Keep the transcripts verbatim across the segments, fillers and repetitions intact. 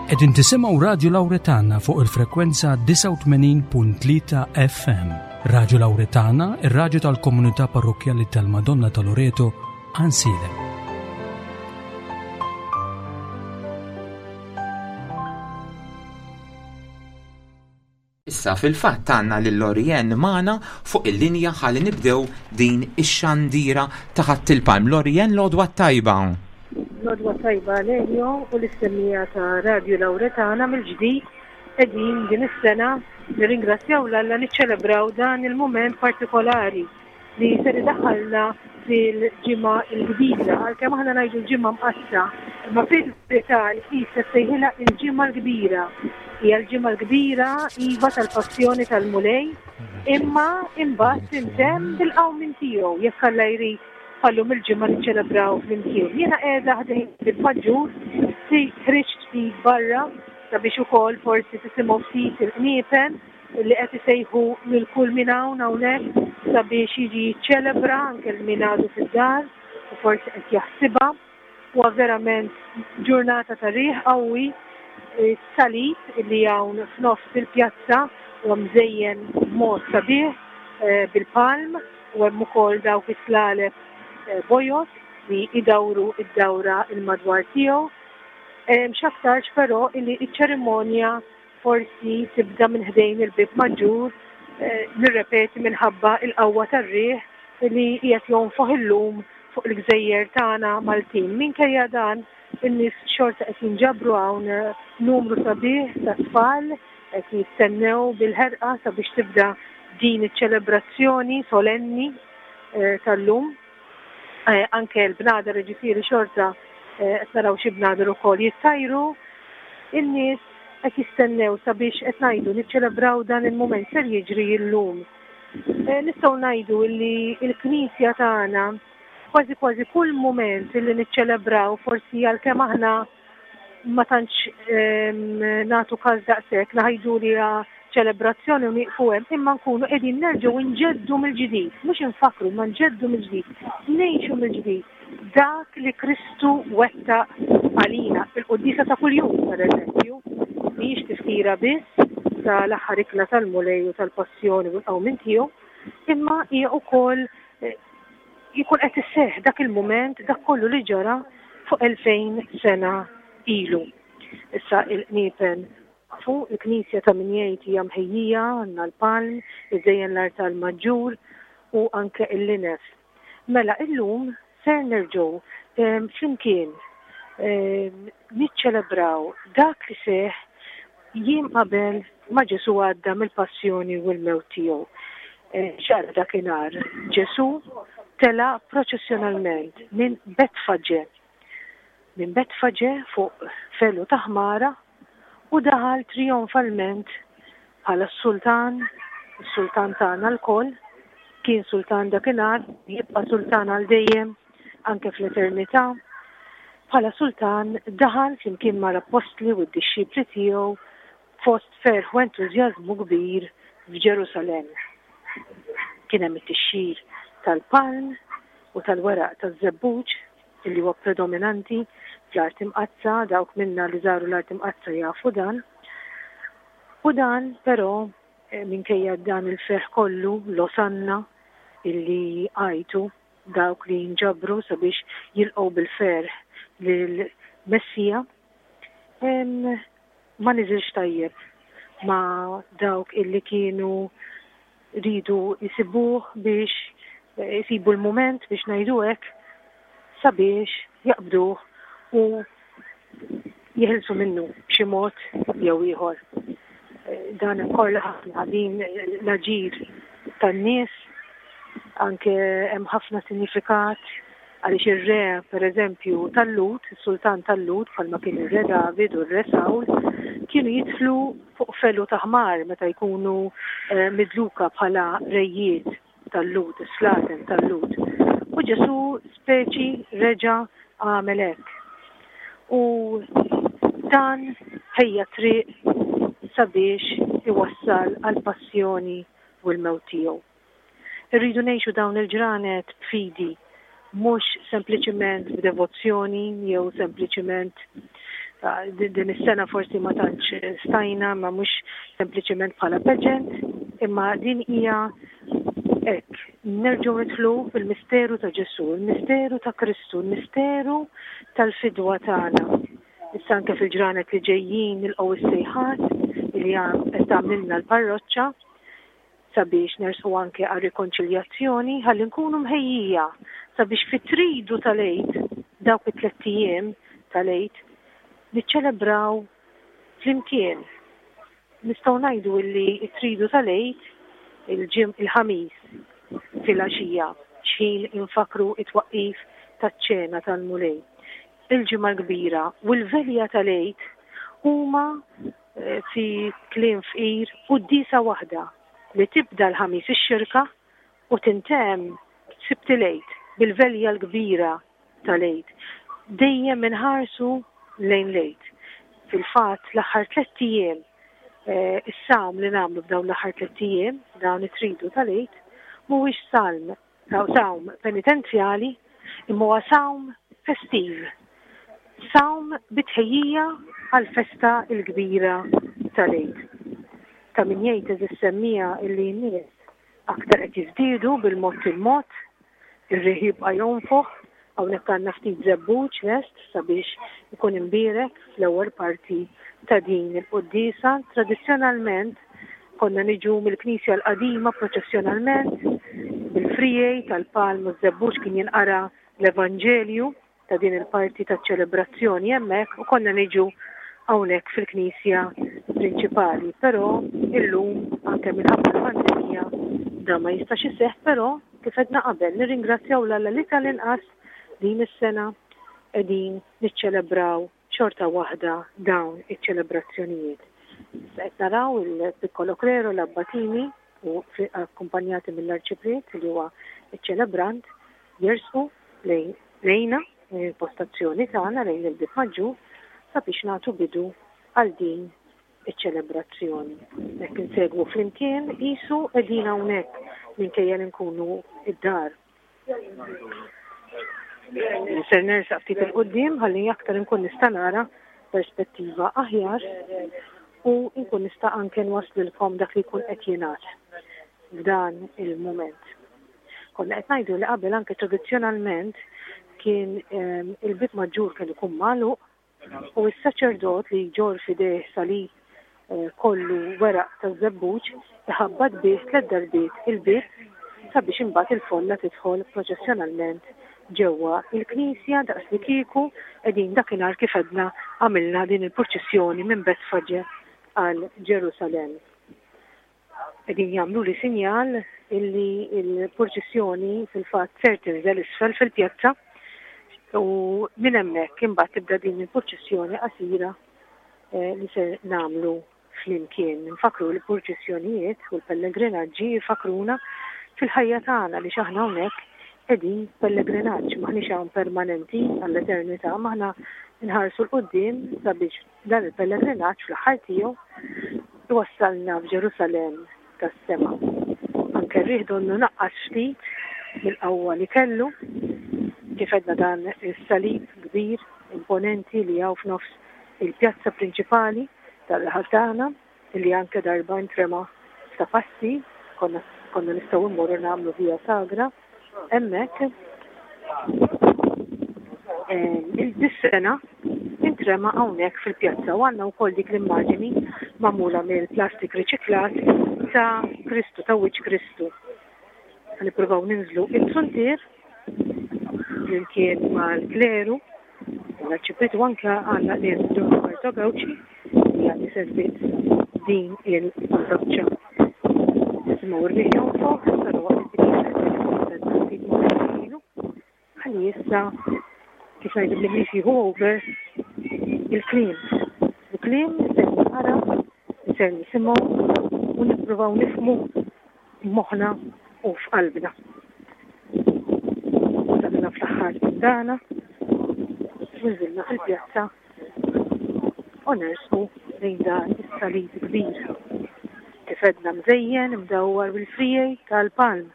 Qegħdin tisimgħu Radio Lauretana fuq il-frekwenza disgħa u tmenin punt tlieta F M. Radio Lauretana, ir-radju tal-komunità parrokkjali tal-Madonna ta' Loreto, Għajnsielem. Issa fil-fatt għandna lil Lorien magħna fuq il-linja ħalli nibdew din ix-xandira ta' Ħadd il-Palm. Lorien, l-għodwa tajba. L-għodwa tajba, Lelio, u lis-semmiegħa ta' Radio Lauretana. Mill-ġdid qegħdin din is-sena, nirringrazzjaw 'l Alla, niċċelebraw dan il-moment partikolari li ser idaħħalna fil-Ġimgħa l-Kbira, għalkemm aħna ngħidu l-Ġimgħa Mqaddsa, imma fil-verità l-Knisja sejħilha il-Ġimgħa l-Kbira. Hija l-Ġimgħa l-Kbira, iva, tal-Passjoni tal-Mulej, imma imbagħad tintemm bil-qawmien tiegħu, jekk Alla jrid bħal-lum il-ġimgħa niċċelebraw flimkien. Jiena qiegħda ħdejn il-Maġġur, ħriġt ftit barra sabiex ukoll forsi tisimgħu ftit il-qniepen li qed isejħu lil kull min hawn hawnhekk sabiex jiġi jiċċelebra, anke l min għadu fid-dar u forsi qed jaħsibha. Huwa verament ġurnata ta' riħ qawwi. Salib li hawn f'nofs il-pjazza huwa mżejjen b'mod sabiħ eh, bil-palm u hemm ukoll dawk is-slaleb eh, bojod li idawru id-dawra il-madwar tiegħu. X'aktarx però illi iċ-ċerimonja forsi tibda minn ħdejn il-bib maġġur, eh, nirrepeti, minħabba il-qawwa tar-riħ li qiegħed jonfoħ illum fuq il-gżejjer tagħna Maltin. Minkejja dan, in-nies xorta qed jinġabru hawn, eh, numru sabiħ ta' tfal qed jistennew bil-ħerqa sabiex tibda din iċ-ċelebrazzjoni solenni eh, tal-lum. Anke l-bnadar, ġifieri xorta qed naraw xi bnadar ukoll jittajru. In-nies qed jistennew sabiex, qed ngħidu, niċċelebraw dan il-mument ser jiġri llum. Eh, nistgħu ngħidu li l-Knisja tagħna kważi kważi kull mument li niċċelebraw, forsi għalkemm aħna ma tantx nagħtu każ daqshekk, ngħidu li ċelebrazzjoni u nieqfu hemm, imma nkunu qegħdin nerġgħu nġeddu mill-ġdid, mhux infakru, ma nġeddu mill-ġdid, ngħixu mill-ġdid dak li Kristu wettaq għalina. Il-quddiesa ta' kuljum, per eżempju, mhijiex tifkira biss tal-aħħar ikla tal-Mulej u tal-passjoni u l-qawmien tiegħu, imma hija wkoll eh, jkun qed isseħħ dak il-mument, dak kollu li ġara fuq elfejn sena ilu. Issa il-qniepen fu il-knisja ta' min jgħid hija mħejjija, għandna l-palm, iżejjen l-artal maġġur u anke il-linef. Mela illum ser nerġgħu flimkien niċċelebraw dak li seħ jiem qabel ma Ġesu għadda mill-passjoni u l-mewt tiegħu. X'ġara dakinhar? Ġesu tela proċessjonalment minn Betfaġe. Minn Betfaġe fuq felu ta' ħmara u daħal trionfalment bħala s-sultan, is-sultan tagħna lkoll, kien sultan dakinhar, jibqa' sultan għal dejjem anke fl-eternità. Bħala sultan daħal flimkien mal-appostli u d-dixxipli tiegħu fost ferħ u entużjażmu kbir f'Ġerusalemm. Kien hemm it-tixxir tal-palm u tal-weraq taż-żebbuġ illi huwa predominanti fl-Art Imqaddsa, dawk minna li żaru l-Art Imqaddsa jafu dan. U dan però, eh, minkejja dan il-ferħ kollu, l-Osanna illi għajtu dawk li nġabru sabiex jilqgħu bil-ferħ lill-Messija, ma niżilx tajjeb ma dawk illi kienu ridu jisibuh biex jisibu l-moment, biex ngħidu hekk, sabiex jaqbduh u jeħilsu minnu b'xi mod jew ieħor. Dan korla ħafna din l-aġir tan-nies, anke hemm ħafna sinifikat għaliex ir-re, per eżempju, tal-Lhud, is-sultan tal-Lhud, bħalma kien ir-re David u r-re Sawl, kienu jidħlu fuq felu ta' ħmar meta jkunu eh, midluka bħala rejiet tal-Lhud, is-slaten tal-Lhud. U Ġesu speċi reġa' għamel hekk. U dan ħejja triq sabiex iwassal għal passjoni u l-mewt tiegħu. Irridu ngħixu dawn il-ġranet b'fidi, mhux sempliċiment b'devozzjoni jew sempliċiment Din is-sena forsi ma tantx stajna, ma mhux sempliċement bħala pageant, imma din hija hekk, nerġgħu nidħlu fil-misteru ta' Ġesù, il-misteru ta' Kristu, il-misteru tal-fidwa tagħna. Issa anke fil-ġranet li ġejjin nilqgħu is-sejħat li qed tagħmlilna l-parroċċa sabiex nersqu anke għal rikonċiljazzjoni ħalli nkunu mħejjija sabiex fit-tridu tal-Għid, dawk it-tlett ijiem tal-Għid, niċċelebraw flimkien. Nistgħu ngħidu illi t-tridu tal-Għid il-ġim il-Ħamis filgħaxija x'ħin infakru it-twaqqif taċ-ċena tal-Mulej. Il-Ġimgħa l-Kbira u l-Velja tal-Għid huma eh, fi kliem fqir quddiesa waħda li tibda l-Ħamis ix-Xirka u tintemm Sibt il-Għid bil-Velja l-Kbira tal-Għid. Dejjem inħarsu lejn l-Għid. Fil-fatt l-aħħar tlett ijiem, eh, is-sawm li nagħmlu f'dawn l-aħħar tlett ijiem, dawn it-tridu tal-Għid, mhuwiex salm, sawm penitenzjali, imma huwa sawm festiv. Sawm bitħejjija għal-festa l-kbira tal-Għid. Ta' min jgħid eżis semmija illi n-nies aktar qed jiżdiedu bil-mod il-mod, ir-riħ jibqa' jonfoħ, hawnhekk għandna ftit żebbuġ lest sabiex ikun imbierek fl-ewwel parti ta' din il-quddiesa. Tradizzjonalment konna niġu mill-Knisja l-qadima proċessjonalment bil-frijej tal-palm u żebbuġ, kien jinqara l-Evanġelju ta' din il-parti ta' ċelebrazzjoni hemmhekk u konna niġu hawnhekk fil-knisja prinċipali, però illum anke minħabba l-pandemija da ma jistax iseħħ, però kif għedna qabel nirringrazzjaw 'l Alla li tal-inqas din is-sena qegħdin niċċelebraw xorta waħda dawn iċ-ċelebrazzjonijiet. Issa qed naraw il-Piccolo Clero, l-Abbatini u akkumpanjati mill-Arċipriet li huwa iċ-ċelebrant jersqu lejna il-postazzjoni tagħna lejn il-Bieb Maġġur sabiex nagħtu bidu għal din iċ-ċelebrazzjoni. Hekk insegwu flimkien qisu qegħdin hawnhekk minkejja li nkunu id-dar. Ser nersaq ftit 'il quddiem ħalli aktar nkun nista' nara perspettiva aħjar u nkun nista' anke nwaslilkom dak li jkun qed jingħad f'dan il-mument. Konna qed ngħidu li qabel anke tradizzjonalment kien ehm, il-Bieb Maġġur kien ikun magħluq u s-saċerdot li jġorr f'idejh salib eh, kollu weraq ta' żebbuġ iħabbat bih tliet darbiet il-bieb sabiex imbagħad il-folla tidħol proċessjonalment ġewwa il-knisja daqs li kieku qegħdin dakinhar kif għedna għamilna din il-purċissjoni minn Betfaġe għal Ġerusalemm. Qegħdin jagħmlu li sinjal illi il-purċissjoni fil-fatt ser tinżel isfel fil-pjazza u minn hemmhekk imbagħad tibda din il-purċissjoni qasira eh, li ser nagħmlu flimkien. Nfakru l-purċissjonijiet u l-pellegrinaġġi jfakruna fil-ħajja tagħna li x'aħna hawnhekk qegħdin pellegrinaġġ, m'aħniex hawn permanenti għall-eternità, m'aħna nħarsu 'l quddiem sabiex dan il-pellegrinaġġ fl-aħħar tiegħu iwassalna f'Ġerusalemm tas-sema. Anke r-riħ donnu naqqas ftit mill-qawwa li kellu, kif għedna dan is-salib kbir imponenti li hawn f'nofs il-pjazza prinċipali tal-raħal tagħna li anke darba intrema ta' passi konna konna nistgħu mmorru nagħmlu via sagra hemmhekk. Il-dis-sena intrema hawnhekk fil-pjazza u għandna wkoll dik l-immaġini magħmula mill-plastik riċiklat ta' Kristu, ta' wiċċ Kristu. Nippruvaw ninżlu it-zuntier flimkien mal-kleru, l-arċipriet u anke għandna lil Dun Roberto Gauci li għandi servizz din il-parroċċa. Nisimgħu r-riħ jonfoħ, però ħalli issa kif ngħidu bl-Ingliż jieħu over il-kliem. Il-kliem ser naqra, ser nisimgħu u nippruvaw nifhmu moħħna u f'qalbna. Wasalna fl-aħħar dana, nżilna fil-pjazza u nersqu lejn dan is-salib kbir. Kif għedna mżejjen imdawwar bil-frijej tal-palm.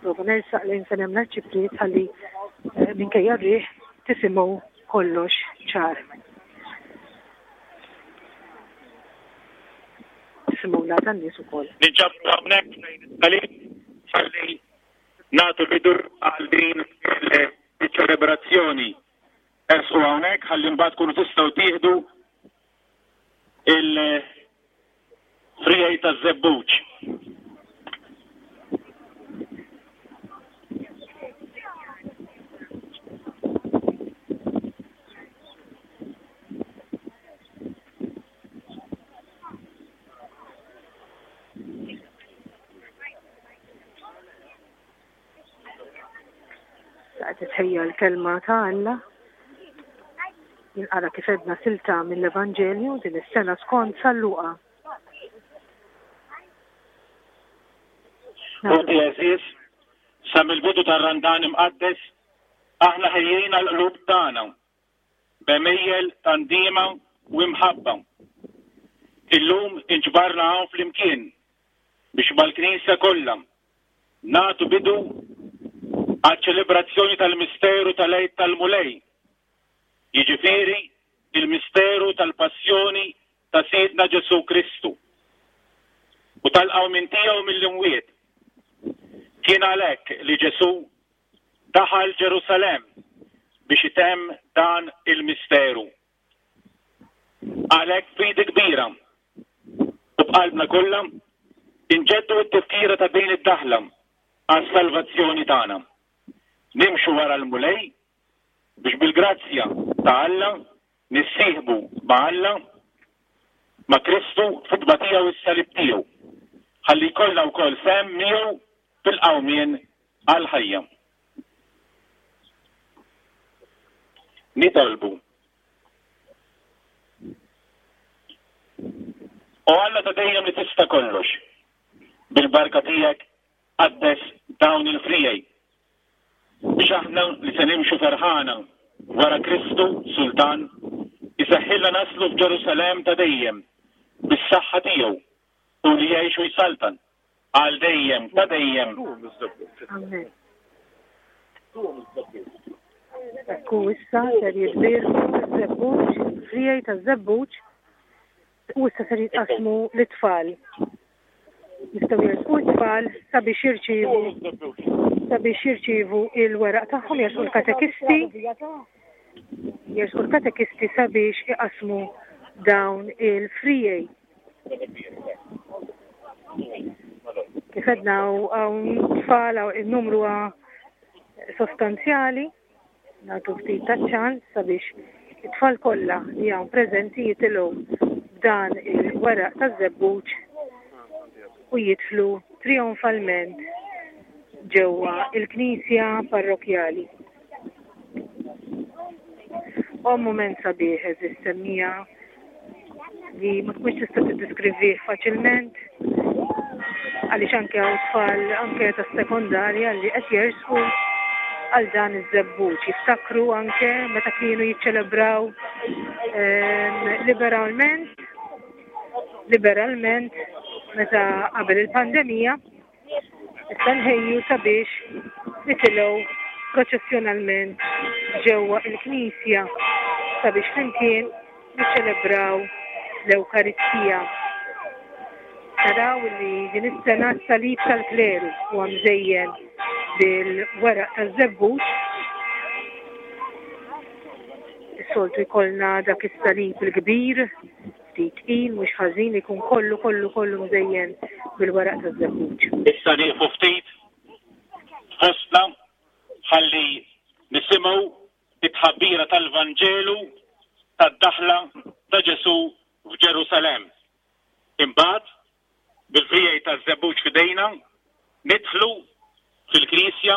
Nipprova nersaq lejn fejn hemm l-arċipriet ħalli eh, minkejja r-riħ tisimgħu Kollox ċar. Nisimgħu l-għada n-nies ukoll. Ninġabru hawnhekk ħalli nagħtu bidu għal din iċ-ċelebrazzjoni. Ersqu hawnhekk ħalli mbagħad tkunu tistgħu tieħdu il-frijaj taż-żebbuġ. Titħejja l-kelma ta' Alla. Jinqara kif edna silta mill-Evanġelju din is-sena skont San Luqa. Ħuti għeżież, sa mill-bidu tar-Randan imqaddes aħna ħejjejna l-qlub tagħna b'għemejjel ta' ndiema u imħabba. Illum inġbarna hawn flimkien biex mal-Knisja kollha nagħtu bidu għaċ-ċelebrazzjoni tal-misteru tal-Għid tal-Mulej, jiġifieri il-misteru tal-passjoni ta' Sidna Ġesù Kristu u tal-qawmien tiegħu mill-imwiet. Kien għalhekk li Ġesù daħal Ġerusalemm biex itemm dan il-misteru. Għalhekk fidi kbira u b'qalbna kollha inġeddu t-tifkira ta' din id-daħla għas-salvazzjoni tagħna. Nimxu wara l-Mulej biex bil-grazzja ta' Alla nissieħbu ma' Alla, ma' Kristu fit-tbatija u s-salib tiegħu, ħalli jkollna wkoll sehem miegħu fil-qawmien għall-ħajja. Nitolbu. O Alla ta' dejjem li tista' kollox, bil-barka tiegħek qaddes dawn il-frijej biex aħna li se nimxu ferħana wara Kristu Sultan iseħħilna naslu f'Ġerusalemm ta' dejjem bis-saħħa tiegħu u li jgħix u jsaltan għal dejjem ta' dejjem. Amen. Ekku issa ser jitbierku ż-żebbuġ, frijej taż-żebbuġ, u issa ser jitqasmu l-tfal. Jistgħu jersqu t-tfal sabiex jirċievu sabiex jirċievu il-weraq tagħhom, jersqu l-katekisti, jersqu l-katekisti sabiex iqasmu dawn il-frijej. Kif għedna hawn tfal, hawn il-numru huwa sostanzjali, nagħtu ftit ta' ċans sabiex it-tfal kollha li hawn preżenti jitilgħu b'dan il-weraq taż-żebbuġ u jidħlu trionfalment ġewwa il-Knisja Parrokjali. U mument sabiħ eżis semmija li ma tkunx tista' tiddiskrivih faċilment għaliex anke hawn tfal anke tas-sekondarja li qed jersqu għal dan iż-żebbuġ. Jiftakru anke meta kienu jiċċelebraw, ehm, liberalment, liberalment meta qabel il-pandemija, issa nħejju sabiex nitilgħu proċessjonalment ġewwa il-Knisja sabiex flimkien niċċelebraw l-Ewkaristija. Naraw li din is-sena s-salib tal-kleru huwa mżejjen bil-weraq taż-żebbuġ. Is-soltu jkollna dak is-salib il-kbir, ftit tqil, mhux ħażin, ikun kollu, kollu, kollu mżejjen bil-weraq taż-żebbuġ. Issa nieqfu ftit fostna ħalli nisimgħu it-tħabbira tal-Vanġelu tad-daħla ta' Ġesù f'Ġerusalemm. Imbagħad bil-frijej taż-żebbuġ f'idejna nidħlu fil-Knisja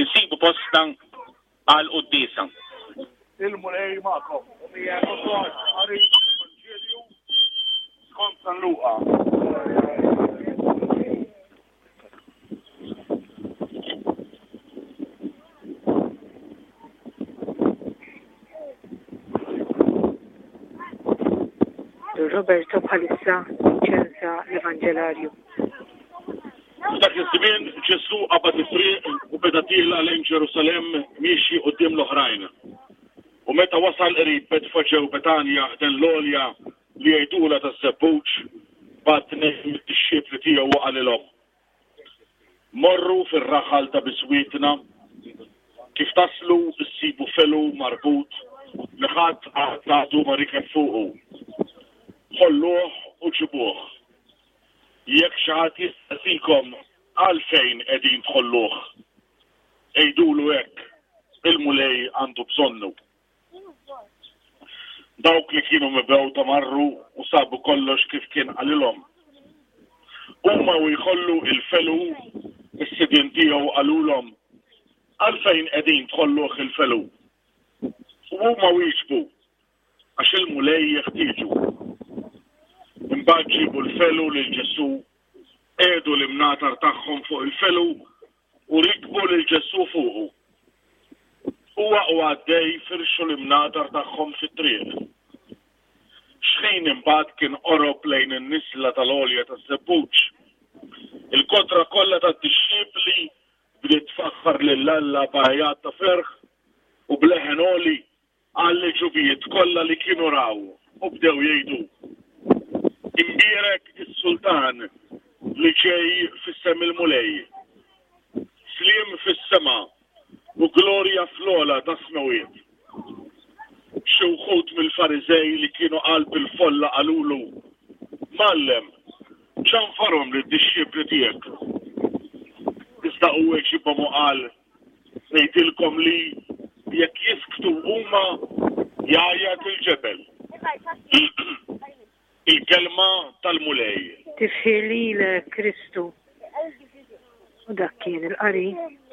insibu postna għal quddiesa. Il-Mulej magħkom. U miegħek ukoll. Qari Evanġelju skont San Luqa. Roberto bħalissa ċensa l-Evanġelarju. F'dak iż-żmien Ġesù qabad it-triq u beda tiela lejn Ġerusalemm miexi quddiem l-oħrajn. U meta wasal wasal qrib Betfaġe u Betanja ħdejn l-għolja li jgħidulha taż-Żebbuġ, bagħat tnejn mid-dixxipli tiegħu u qalilhom: Morru fir-raħal ta' biswitna, kif taslu issibu felu marbut li ħadd qatt għadu ma rikeb fuqu. Ħolluh u ġibuh. Jekk xi ħadd jistaqsikom għalfejn qegħdin tħolluh, għidulu hekk: il-Mulej għandu bżonnu. Dawk li kienu mibgħuta marru u sabu kollox kif kien qalilhom. Huma u jħollu il-felu, is-sidien tiegħu qalulhom: Għalfejn qegħdin tħolluh il-felu? U huma wieġbu: Għax il-Mulej jeħtieġu. Imbagħad ġibu l-felu lil Ġesù, qiegħdu l-imnatar tagħhom fuq il-felu u rikbu lil Ġesù fuqu. Huwa u għaddej firxu l-imnatar tagħhom fit-triq. Xħin imbagħad kien qorob lejn in-niżla tal-għolja taż-Żebbuġ, il-kotra kollha tad-dixxipli bdiet tfaħħar lil Alla b'għajat ta' ferħ u b'leħen għoli għall-għeġubijiet kollha li kienu raw u bdew jgħidu: Imbierek is-Sultan li ġej f'isem il-Mulej. Sliem fis-sema u glorja fl-ogħla tas-smewiet. Xi wħud mill-Fariżej li kienu qalb il-folla qalulu: Mgħallem, ċanfarhom lid-dixxipli tiegħek. Iżda hu weġibhom u qal: Ngħidilkom li jekk jisktu huma jgħajjat il-ġebel. Il-kelma tal-Mulej. Tifħir lilek, Kristu. U dak kien il-qari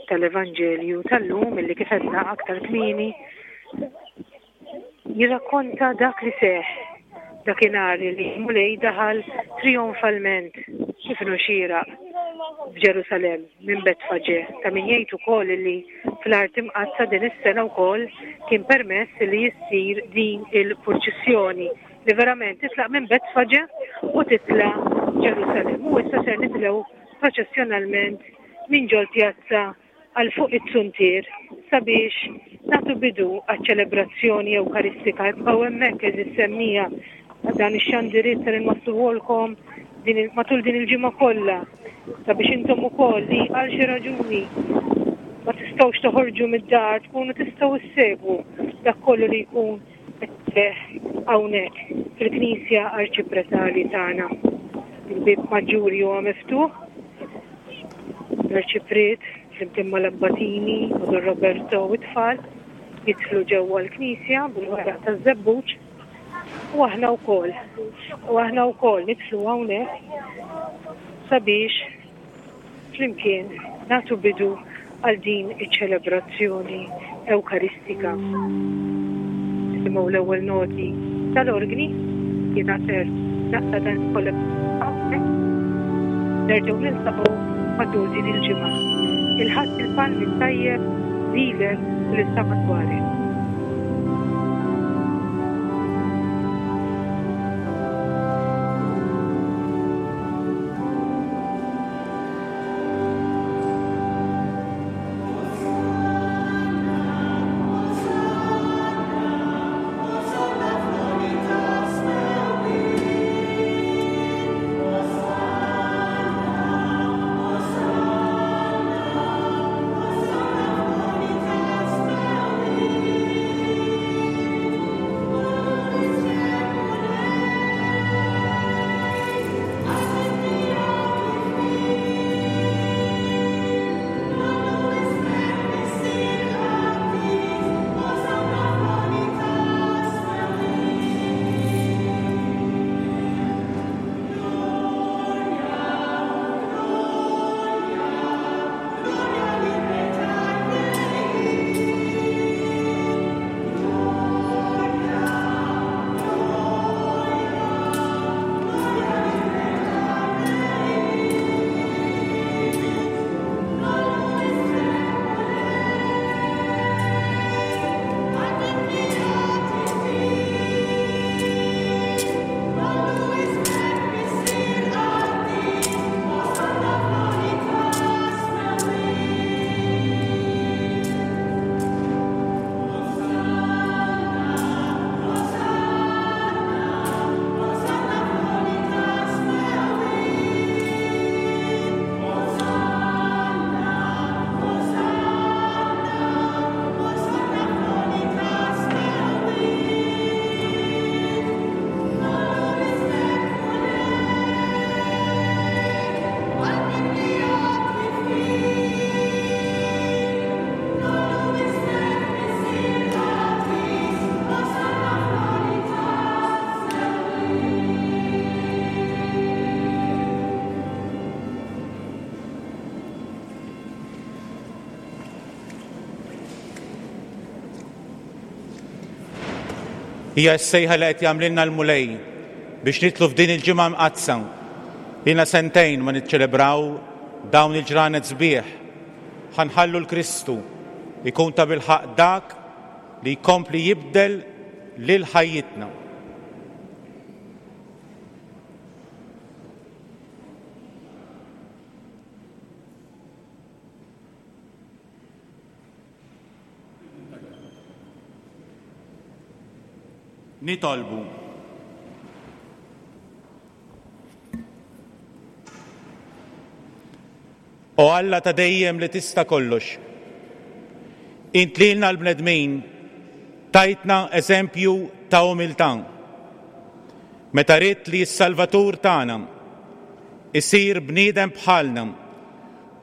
tal-Evanġelju tal-lum illi kif għedna aktar kmieni jirrakkonta dak li seħ dakinhar li Mulej daħal trionfalment kif inhu xieraq f'Ġerusalemm minn Betfaġe. Ta' min jgħid ukoll li fl-Art Imqaddsa din is-sena wkoll kien permess li jissir din il-purċissjoni li verament titlaq minn Betfaġe u titla' Ġerusalemm. U issa ser nitilgħu proċessjonalment minn ġol pjazza għal fuq it-suntier sabiex nagħtu bidu għaċ-ċelebrazzjoni ewkaristika. Ibqgħu hemmhekk għeżież semmiegħa dan ix-xandiriet ser inwassluhulkom din il-, matul din il-ġimgħa kollha sabiex intom ukoll li għal xi raġuni ma tistgħux toħorġu mid-dar tkunu tistgħu issegwu dak kollu li jkun qed iseħħ hawnhekk fil-Knisja Arċipretali tagħna. Il-bieb maġġuri huwa miftuħ. L-Arċipriet flimkien mal-Abbatini u Don Roberto u t-tfal jidħlu ġewwa l-Knisja bil-weraq taż-żebbuġ u aħna wkoll. U aħna wkoll nidħlu hawnhekk sabiex flimkien nagħtu bidu għal din iċ-ċelebrazzjoni ewkaristika. Nisimgħu l-ewwel noti tal-organi, jiena ser naqta' dan kollha hawnhekk. Nerġgħu niltaqgħu matul din il-ġimgħa. Il-Ħadd il-Palmi tajjeb lilek u lil madwarek. Thank you. Hija s-sejħa li qed jagħmlilna l-Mulej biex nidħlu f'din il-ġimgħa mqaddsa. Ilna sentejn ma niċċelebraw dawn il-ġranet sbieħ. Ħa nħallu 'l Kristu ikun ta' bilħaqq dak li jkompli jibdel lil ħajjitna. Nitolbu. O Alla ta' dejjem li tista' kollox, int lilna l-bnedmin tajtna eżempju ta' umiltà. Meta ridt li s-Salvatur tagħna isir bniedem bħalna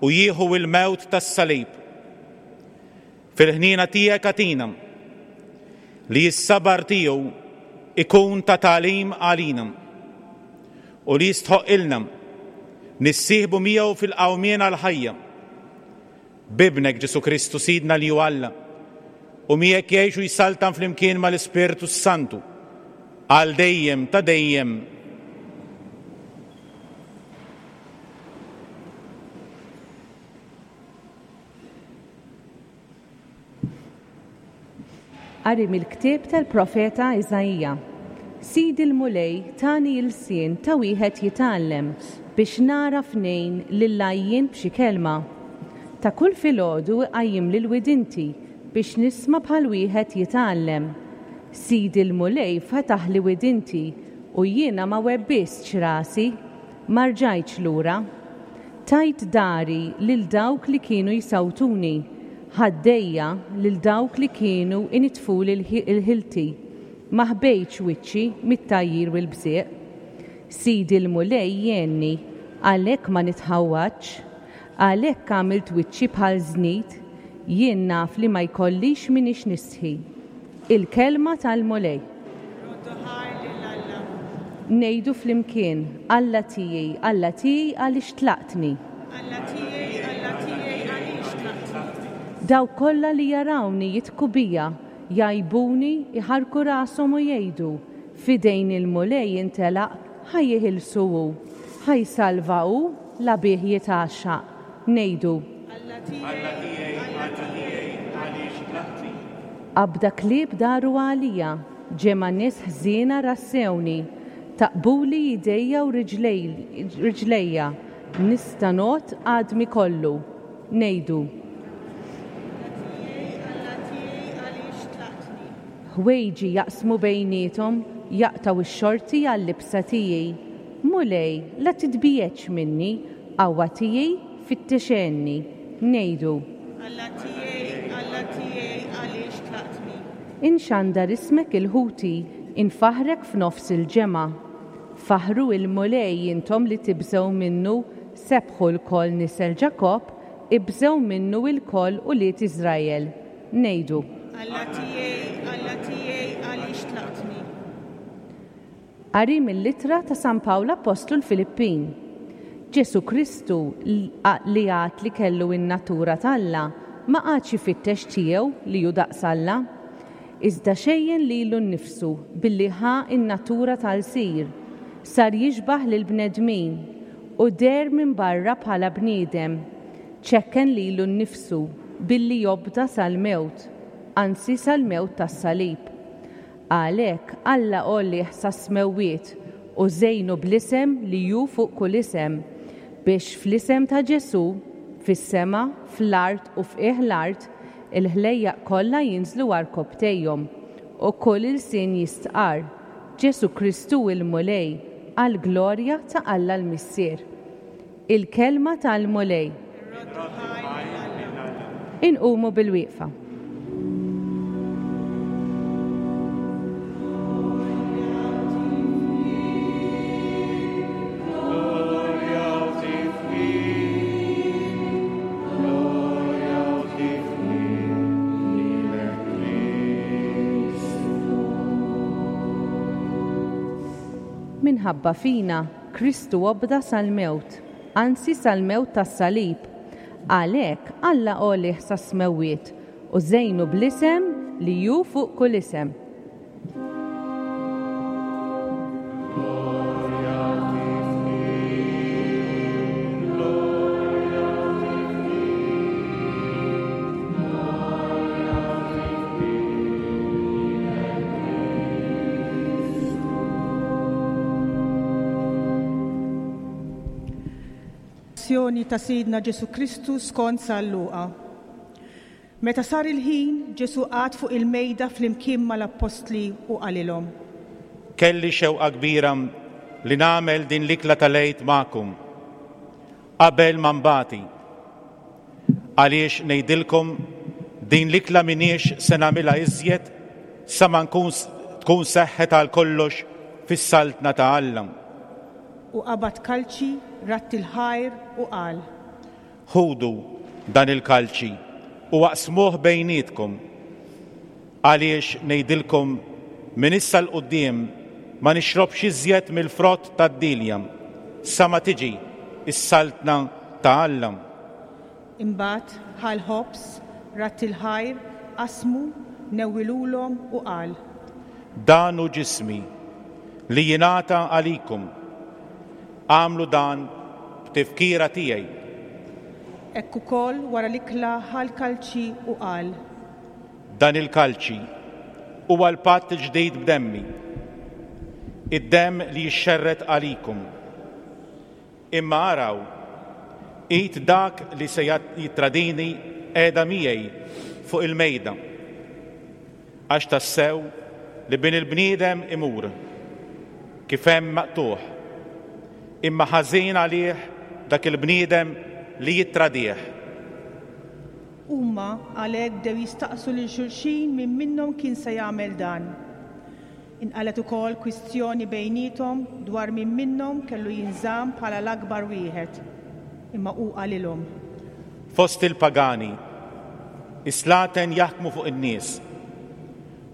u jieħu l-mewt tas-salib. Fil-ħniena tiegħek agħtina li s-sabar tiegħu ikun ta' tagħlim għalina u li jistħoqilna nissieħbu miegħu fil-qawmien għall-ħajja. B'Ibnek Ġesù Kristu Sidna li hu Alla u miegħek jgħix u jsaltan flimkien mal-Ispirtu Santu għal dejjem ta' dejjem. Qari mill-ktieb tal-profeta Iżaija. Sidi l-Mulej tani l-sien ta' wieħed jitgħallem biex nara f'nejn lil-għajjien b'xi kelma. Ta' kull filgħodu iqajjim lil widinti biex nisma' bħal wieħed jitgħallem. Sidi l-Mulej fetaħli widinti u jiena ma webbistx rasi, ma rġajtx lura. Tajt dari lil dawk li kienu jsawtuni, ħaddejja lil dawk li kienu initfuli l-ħilti, ma ħbejtx wiċċi mit-tgħajjir u l-bżieq. Sidi l-Mulej jgħinni, għalhekk ma nitħawwadx, għalhekk għamilt wiċċi bħal żnid, jien naf li ma jkollix minix nistħi. Il-kelma tal-Mulej. Ngħidu flimkien, Alla tiegħi, Alla tiegħi għaliex tlaqtni. Alla tiegħi, Alla tiegħi għaliex tlaqtni. Dawk kollha li jarawni jidħku bija, jgħajbuni, iħarku rashom u jgħidu, f'idejn il-Mulej intelaq, ħa jeħilsu hu, ħa jsalva hu la bih jitgħaxxaq. Ngħidu. Alla tiegħi, Alla tiegħi għaliex tlaqtni. Qabda klieb daru għalija, ġemgħa nies ħżiena rassewni, taqbuli idejja u riġlejja, nista' ngħodd għadmi kollu. Ngħidu. Alla tiegħi, Alla tiegħi għaliex tlaqtni. Ħwejġi jaqsmu bejniethom, jaqtgħu x-xorti għal-libsa tiegħi. Mulej, la titbiegħedx minni, qawwa tiegħi fittixenni. Ngħidu. Alla tiegħi, Alla tiegħi għaliex tlaqtni. Inxandar ismek il-ħuti, infaħrek f'nofs il-ġemgħa. Faħru il-Mulej intom li tibżgħu minnu, sebħu lkoll nisel Ġakobb, ibżgħu minnu lkoll ulied Iżrael. Ngħidu. Alla tiegħi, Alla tiegħi għaliex tlaqtni. Qari mill-ittra ta' San Pawl Apostlu l-Filippin. Ġesù Kristu li għad li kellu in-natura t'Alla ma qagħadx ifittex tiegħu li hu daqs Alla, iżda xejjen lilu nnifsu billi ħa in-natura tal-sir, sar jixbaħ lil bnedmin u deher minn barra bħala bniedem, ċekken lilu nnifsu billi jobda sal-mewt, anzi sal-mewt tas-salib. Għalhekk Alla għollih sas-smewwiet u żejnu bl-isem li hu fuq kull isem, biex fl-isem ta' Ġesù, fis-sema, fl-art u f'qiegħ l-art, il-ħlejjaq kollha jinżlu għarkopptejhom u kull ilsien jistqarr Ġesù Kristu il-Mulej għall-glorja ta' Alla l-Missier. Il-kelma tal-Mulej. Inqumu bil-wieqfa. Minħabba fina, Kristu obda sal-mewt, anzi sal-mewt tas-salib. Għalhekk Alla għolih sas-smewwiet u żejnu bl-isem li hu fuq kull isem. Passjoni ta' Sidna Ġesù Kristu skont San Luqa. Meta sar il-ħin, Ġesù qagħad fuq il-mejda flimkien mal-appostli u qalilhom. Kelli xewqa kbira li nagħmel din l-ikla tal-Għid magħkom qabel ma nbati. Għaliex ngħidilkom din l-ikla m'iniex se nagħmilha iżjed sa ma nkun tkun seħħet għal kollox fis-saltna ta' Alla. U qabad kalċi, radd il-ħajr u qal. Ħudu dan il-kalċi u aqsmuh bejnietkom. Għaliex ngħidilkom minn issa 'l quddiem ma nixrobx iżjed mill-frott tad-dielja sa ma tiġi s-saltna ta' Alla. Imbagħad ħa l-ħobż, radd il-ħajr, qasmu, newwilulhom u qal. Dan hu ġismi li jingħata għalikum. Agħmlu dan b'tifkira tiegħi. Hekk ukoll wara l-ikla ħa l-kalċi u qal. Dan il-kalċi huwa l-patt il-ġdid b'demmi, id-demm li jixxerred għalikum. Imma araw, id dak li se jittradini qiegħda miegħi fuq il-mejda. Għax tassew li Bin il-bniedem imur kif hemm maqtugħ, imma ħażin għalih dak il-bniedem li jittradih. Huma għalhekk bdew jistaqsu lil xulxin min minnhom kien se jagħmel dan. Inqalgħet ukoll kwistjoni bejniethom dwar min minnhom kellu jinżamm bħala l-akbar wieħed. Imma hu qalilhom. Fost il-pagani, is-slaten jaħkmu fuq in-nies,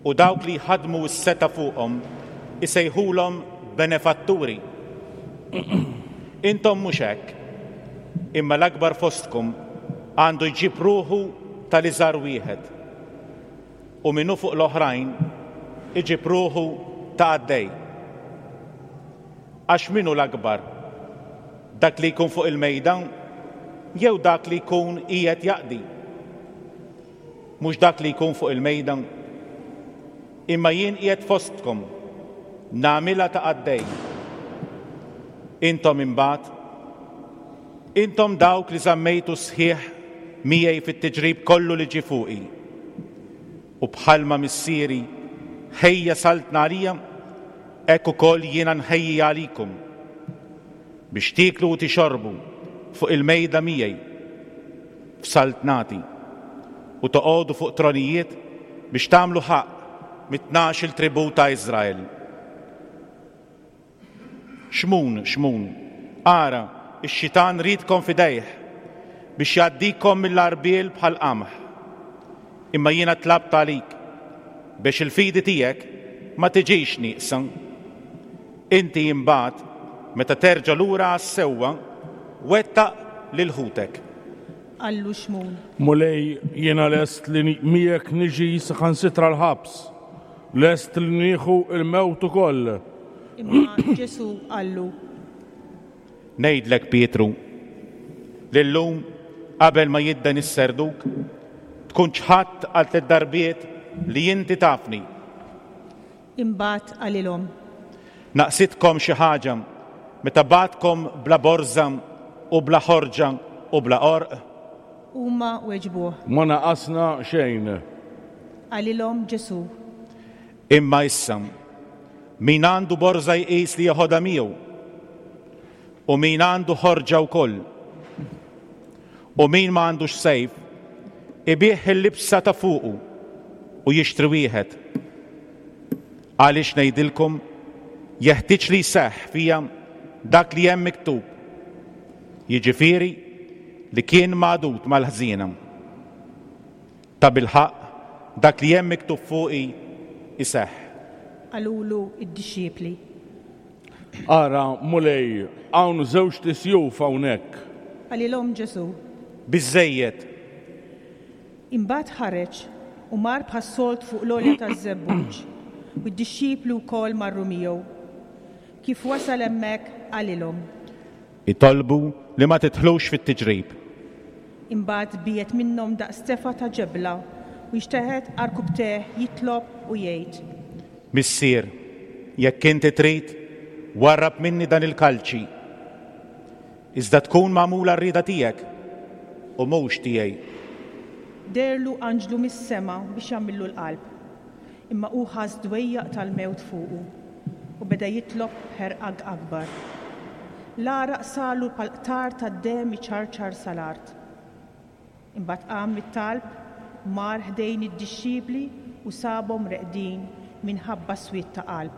u dawk li jħaddmu s-setgħa fuqhom isejħulhom benefatturi. Intom mhux hekk, imma l-akbar fostkom għandu jġib ruħu tal-iżgħar wieħed, u min hu fuq l-oħrajn iġib ruħu ta' qaddej. Għax min hu l-akbar? Dak li jkun fuq il-mejda jew dak li jkun qiegħed jaqdi? Mhux dak li jkun fuq il-mejda? Imma jien qiegħed fostkom nagħmilha ta' qaddej. Intom imbagħad, intom dawk li żammejtu sħiħ miegħi fit-tiġrib kollu li ġie fuqi. U bħalma missieri ħejja saltna għalija, hekk ukoll jiena nħejji għalikum biex tieklu u tixorbu fuq il-mejda miegħi f'saltnati u toqogħdu fuq tronijiet biex tagħmlu ħaqq mit-tnax il tribu ta' Iżrael. Xmun, Xmun, ara, ix-xitan riedkom f'idejh biex jgħaddikom mill-għarbiel bħal qamħ. Imma jiena tlabt għalik biex il-fidi tiegħek ma tiġix nieqsa. Inti imbagħad meta terġa' lura għas-sewwa, wettaq lil ħutek. Qallu Xmun. Mulej, jiena lest li miegħek niġi saħansitra l-ħabs, lest li nieħu il-mewt ukoll. Imma Ġesù qallu. Ngħidlek Pietru, li llum qabel ma jidden is-serduk, tkun ċħadt għal tliet darbiet li inti tafni. Imbagħad qalilhom. Naqsitkom xi ħaġa meta bgħattkom bla borża u bla ħorġa u bla għorq? Huma weġbuh. Ma naqasna xejn. Qalilhom Ġesù. Imma issa, min għandu borża jqis li jeħodha miegħu, u min għandu ħorġa wkoll. U min ma għandux sejf, ibigħ il-libsa ta' fuqu u jixtri wieħed. Għaliex ngħidilkom, jeħtieġ li jseħħ fija dak li hemm miktub, jiġifieri li kien magħdud mal-ħżiena. Tabilħaqq dak li hemm miktub fuqi iseħħ. Qalulu d-dixxipli. Ara, Mulej, hawn żewġt isjuf hawnhekk. Qalilhom Ġesù. Biżżejjed. Imbagħad ħareġ u mar bħas-solt fuq l-għolja taż-Żebbuġ, u d-dixxipli wkoll marru miegħu. Kif wasal hemmhekk qalilhom. Itolbu li ma tidħlux fit-tiġrib. Imbagħad biegħed minnhom daqs tefgħa ta' ġebla u jxteħet għarkupptejh jitlob u jgħid. Missier, jekk inti trid, warrab minni dan il-kalċi. Iżda tkun magħmula r-rieda tiegħek u mhux tiegħi. Deherlu anġlu mis-sema biex jagħmillu l-qalb, imma hu ħass dwejjaq tal-mewt fuqu u beda jitlob b'ħerqa akbar. L-għaraq sarlu bħal qtar tad-demm iċarċar sal-art. Imbagħad qam mit-talb, mar ħdejn id-dixxipli u sabhom reqdin minħabba swied ta' qalb.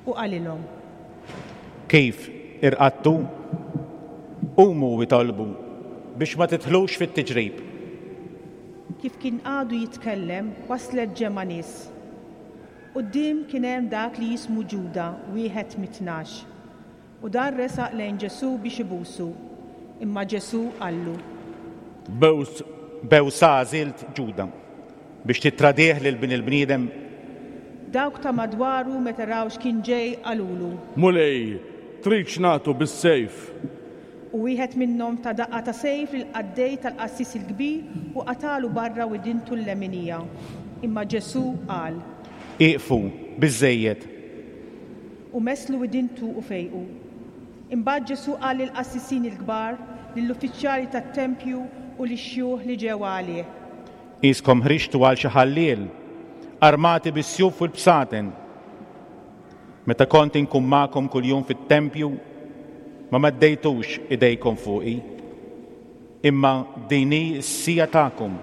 U qalilhom: Kif irqadtu? Qumu u itolbu biex ma tidħlux fit-tiġrib. Kif kien għadu jitkellem, waslet ġemgħa nies. Quddiem kien hemm dak li jismu Ġuda, wieħed mit-tnax. U dan resaq lejn Ġesù biex ibusu, imma Ġesù qallu: Bews Bewsa għażilt Ġuda biex tittradih lil Bin il-bniedem. Dawk ta' madwaru meta raw x'kien ġej qalulu: Mulej, tridx nagħtu bis-sejf? U wieħed minnhom ta daqqa ta' sejf lill-qaddej tal-qassis il-kbir u qatalu barra widintu l-leminija. Imma Ġesù qal: Ieqfu, biżżejjed. U messlu widintu u fejqu. Imbagħad Ġesù qal lill-qassisin il-kbar, lill-uffiċjali tat-tempju u lix-xjuħ li ġew għalih: Qiskom ħriġtu għal xi ħalliel, armati bis-sjuf u l-bsaten. Meta kont inkun magħkom kuljum fit-tempju, ma meddejtux idejkom fuqi. Imma din hi s-siegħa tagħkom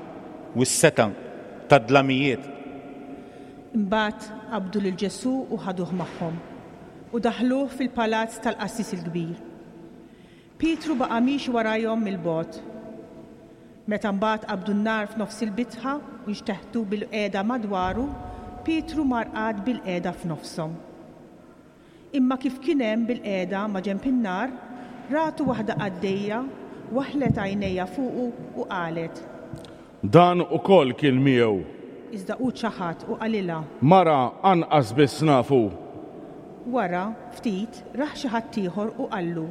u s-setgħa tad-dlamijiet. Imbagħad qabdu lil Ġesù u ħaduh magħhom u daħluh fil-palazz tal-qassis il-kbir. Pietru baqa' miexi warajhom mill-bogħod. Meta mbagħad qabdu n-nar f'nofs il-bitħa u nxteħtu bil-qiegħda madwaru, Pietru mar qagħad bil-qiegħda f'nofshom. Imma kif kien hemm bil-qiegħda ma' ġenb in-nar, ratu waħda qaddejja, waħlet għajnejha fuqu u qalet: Dan ukoll kien miegħu. Iżda hu ċaħad u qalilha: Mara, anqas biss nafu. Wara ftit rah xi ħadd ieħor u qallu: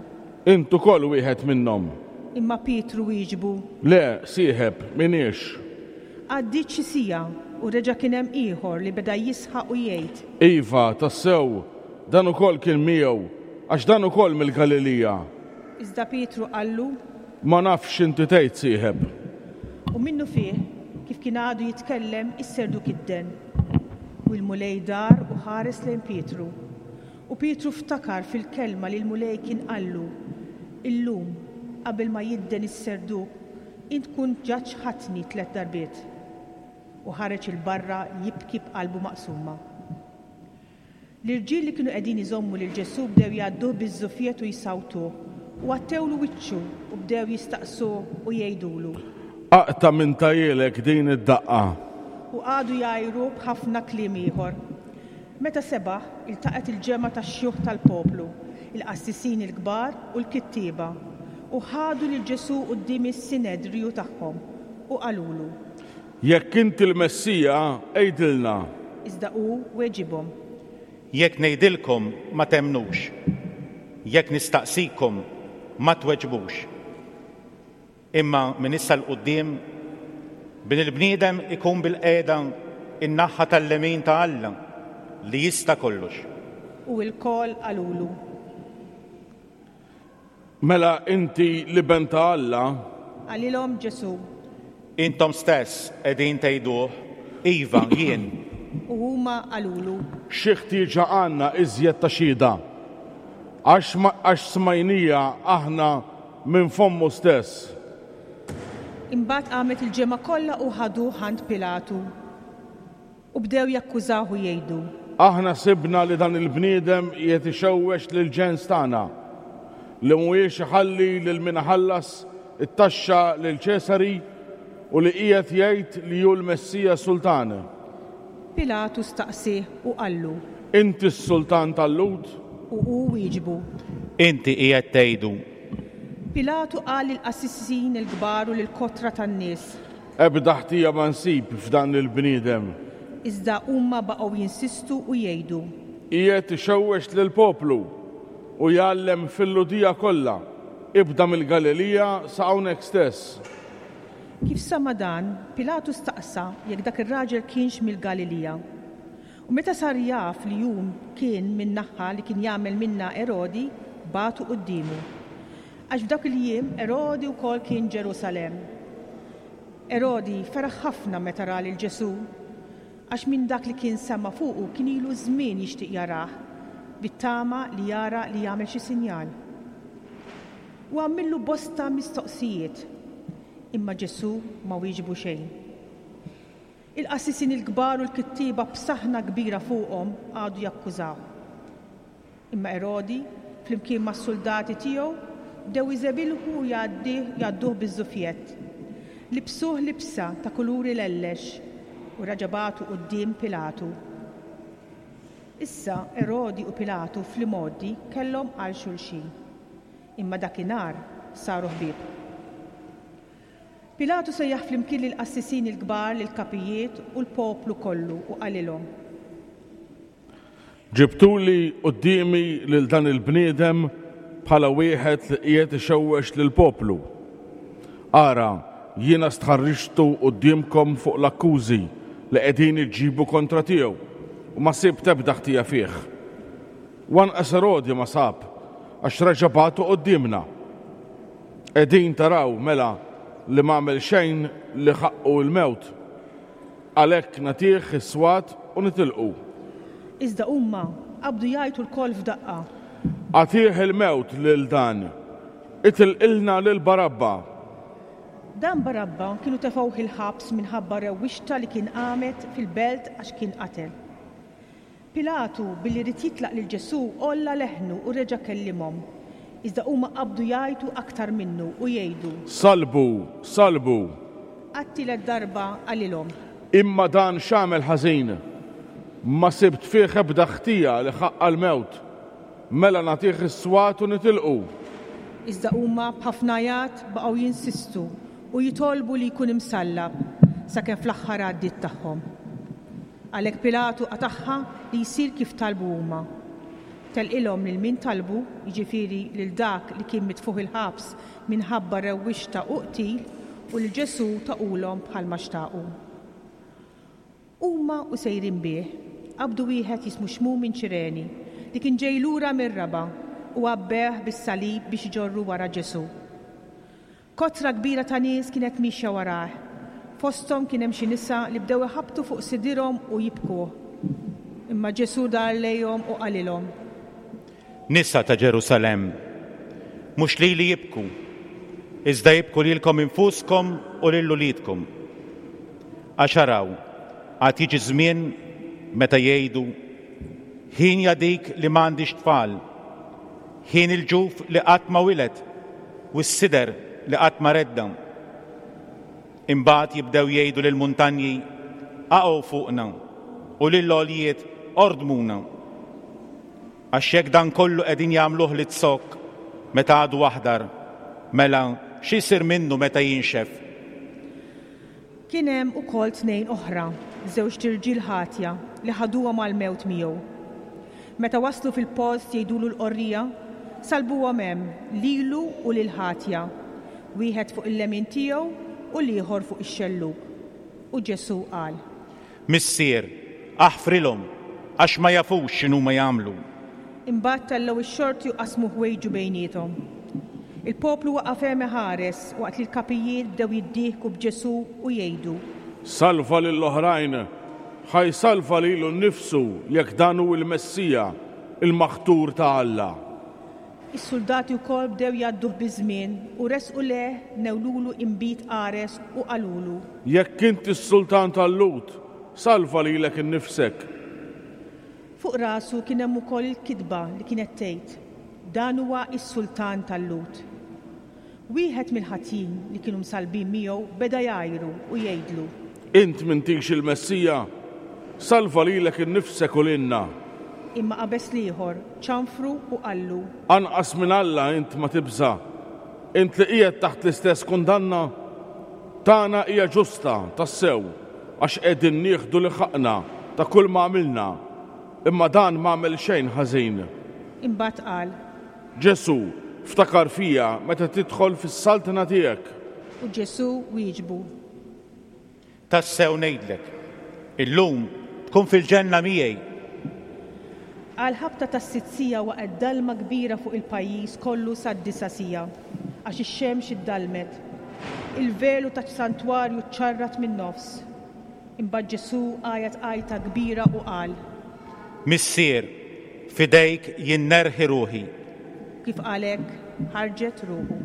Int ukoll wieħed minnhom. Imma Pietru wieġbu: Le, sieħeb, m'iniex. Għaddiet xi siegħa u reġa' kien hemm ieħor li beda jisħaq u jgħid: Iva, tassew, dan ukoll kien miegħu, għax dan ukoll mill-Galilija. Iżda Pietru qallu: Ma nafx x'inti tgħid, sieħeb. U minnufih, kif kien għadu jitkellem, is-serduk idden. U l-Mulej dar u ħares lejn Pietru. U Pietru ftakar fil-kelma li l-Mulej kien qallu: Illum, qabel ma jidden is-serduk, int tkun ġa ċħadtni tliet darbiet. U ħareġ 'il barra jibki b'qalbu maqsuma. L-irġiel li kienu qegħdin iżommu lil Ġesù bdew jgħadduh biż-żuffiet u jsawtuh, u għattewlu wiċċu u bdew jistaqsuh u jgħidulu: Aqta' min tahielek din id-daqqa. U qagħdu jgħajruh b'ħafna kliem ieħor. Meta sebaħ, iltaqgħet il-ġemgħa tax-xjuħ tal-poplu, il-qassisin il-kbar u l-kittieba, u ħadu lil Ġesù quddiem is-Sinedriju tagħhom u qalulu: Jekk inti l-Messija, għidilna. Iżda hu weġibhom: Jekk ngħidilkom ma temnux, jekk nistaqsikom ma tweġbux. Imma minn issa 'l quddiem Bin il-bniedem ikun bil-qiegħda in-naħa tal-lemin ta' Alla li jista' kollox. U lkoll qalulu: Mela inti l-Iben ta' Alla? Qalilhom Ġesù: Intom stess qegħdin tgħiduh, iva, jien. U huma qalulu: Xi ħtieġa għandna iżjed ta' xhieda? Għax ma-, għax smajnija aħna minn fommu stess. Imbagħad qamet il-ġemgħa kollha u ħaduh għand Pilatu. U bdew jakkużawh u jgħidu: Aħna sibna li dan il-bniedem qiegħed ixewwex lil-ġens tagħna, li mhuwiex iħalli lil min iħallas it-taxxa lil Ċesari u li qiegħed jgħid li hu l-Messija Sultan. Pilatu staqsieh u qallu: Inti s-Sultan tal-Lhud? U hu wieġbu: Inti qiegħed tgħidu. Pilatu qal lill-qassisin il-kbar u lill-kotra tan-nies: Ebda ħtija ma nsib f'dan il-bniedem. Iżda huma baqgħu jinsistu u jgħidu: Qiegħed ixewwex lill-poplu u jgħallem fil-Lhudija kollha, ibda mill-Galilija sa hawnhekk stess. Kif sama dan, Pilatu staqsa jekk dak ir-raġel kienx mill-Galilija. U meta sar jaf li hu kien min-naħa li kien jagħmel minna Erodi, bagħtu quddiemu. Għax f'dak il-jiem Erodi wkoll kien Ġerusalemm. Erodi feraħ ħafna meta ra lil Ġesù, għax minn dak li kien sema' fuqu kien ilu żmien jixtieq jarah, bit-tama li jara li jagħmel xi sinjal. U għamillu bosta mistoqsijiet, imma Ġesù ma wieġbu xejn. Il-qassisin il-kbar u l-kittieba b'saħna kbira fuqhom għadu jakkużaw. Imma Erodi, flimkien mas-suldati tiegħu, bdew iżebilħu u jgħadduh biż-żufjett. Libsuh libsa ta' kulur ilellex u reġa' bagħtu quddiem Pilatu. Issa Erodi u Pilatu fl-imgħoddi kellhom għal xulxin, imma dakinhar saru ħbieb. Pilatu sejjaħ flimkien lill-qassisin il-kbar, lill-kapijiet u l-poplu kollu u qalilhom: Ġibtuli quddiemi lil dan il-bniedem bħala wieħed li qiegħed ixewwex lill-poplu. Ara, jiena stħarriġtu quddiemkom fuq l-akkużi li qegħdin iġibu kontra tiegħu u ma sibt ebda ħtija fih. U anqas Erodi ma sab, għax reġa' bagħtu quddiemna. Qegħdin taraw mela li ma għamel xejn li ħaqqu l-mewt. Għalhekk nagħtih is-swat u nitilqu. Iżda huma qabdu jgħajtu lkoll f'daqqa. Agħtih il-mewt lil dan, itilqilna lil Barabba. Dan Barabba kienu tefgħuh il-ħabs minħabba rewwixta li kien qamet fil-belt għax kien qatel. Pilatu billi ried jitlaq lil Ġesù għolla leħnu u reġa' kellimhom. Iżda huma qabdu jgħajtu aktar minnu u jgħidu: Salbu, salbu. Għat-tielet darba qalilhom: Imma dan x'għamel ħażin? Ma sibt fih ebda ħtija li ħaqqa l-mewt. Mela nagħtih is-swat u nitilqu. Iżda huma b'ħafna għajat baqgħu jinsistu u jitolbu li jkun imsallab sakemm fl-aħħar għaddiet tagħhom. Għalhekk Pilatu qatagħha li jsir kif talbu huma. Telqilhom lil min talbu, jiġifieri lil dak li kien mitfuħ il-ħabs minħabba rewwixta u qtil, u lil Ġesù taqulhom bħalma xtaqu. Huma u sejrin bih, qabdu wieħed jismu Xmun minn Ċireni, li kien ġej lura mir-raba' u għabbeh bis-salib biex iġorru wara Ġesù. Kotra kbira ta' nies kienet mixja warah. Fosthom kien hemm xi nisa li bdew iħabbtu fuq sidirhom u jibkuh. Imma Ġesù dar lejhom u qalilhom: Nisa ta' Ġerusalemm, mhux lili jibku, iżda jibku lilkom infuskom u lil uliedkom. Għax araw, għad jiġi żmien meta jgħidu: Ħin dik li m'għandix tfal, ħin il-ġuf li qatt ma wiled u s-sider li qatt ma redda. Imbagħad jibdew jgħidu lill-muntanji: Aqgħu fuqna, u lill-għoljiet ordmuna. Għax jekk dan kollu qegħdin jagħmluh lit-zokk meta għadu aħdar, mela xi jsir minnu meta jinxef? Kien hemm ukoll tnejn oħra, żewġt irġiel ħatja li ħaduhom għall-mewt miegħu. Meta waslu fil-post jgħidulu l-qorrija, salbuhom hemm lilu u lil ħatja, wieħed fuq il-lemin tiegħu u l-ieħor fuq ix-xellug. U Ġesù qal: Missier, aħfrilhom għax ma jafux x'inhuma jagħmlu. Imbagħad tellgħu x-xorti u qasmu ħwejġu bejniethom. Il-poplu waqaf hemm iħares waqt li l-kapijiet bdew jiddieħku b'Ġesù u jgħidu: Salva lill-oħrajn, ħa jsalva lilu nnifsu jekk dan hu l-Messija, il-maħtur ta' Alla. Is-suldati wkoll bdew jgħadduh biż-żmien u resqu lejh newlulu inbid qares u qalulu: Jekk inti s-sultan tal-Lhud, salva lilek innifsek. Fuq rasu kien hemm ukoll il-kitba li kienet tgħid: Dan huwa s-sultan tal-Lhud. Wieħed mill-ħatjin li kienu msalbin miegħu beda jgħajru u jgħidlu: Int m'intix il-Messija, salva lilek innifsek u lilna. Imma qabeż l-ieħor, ċanfru u qallu: Anqas minn Alla int ma tibża', int li qiegħed taħt l-istess kundanna? Tagħna hija ġusta tassew, għax qegħdin nieħdu li ħaqna ta' kull ma għamilna, imma dan ma għamel xejn ħażin. Imbagħad qal: Ġesù, ftakar fija meta tidħol fis-saltna tiegħek. U Ġesù wieġbu: Tassew ngħidlek, illum tkun fil-ġenna miegħi. Għal ħabta tas-sitt siegħa waqgħet dalma kbira fuq il-pajjiż kollu sad-disa' siegħa. għax ix-xemx iddalmet. Il-velu tas-santwarju ċċarrat min-nofs. Imbagħad Ġesù għajat għajta kbira u qal: Missier, f'idejk jien nerħi ruħi. Kif qal hekk, ħarġet ruħu.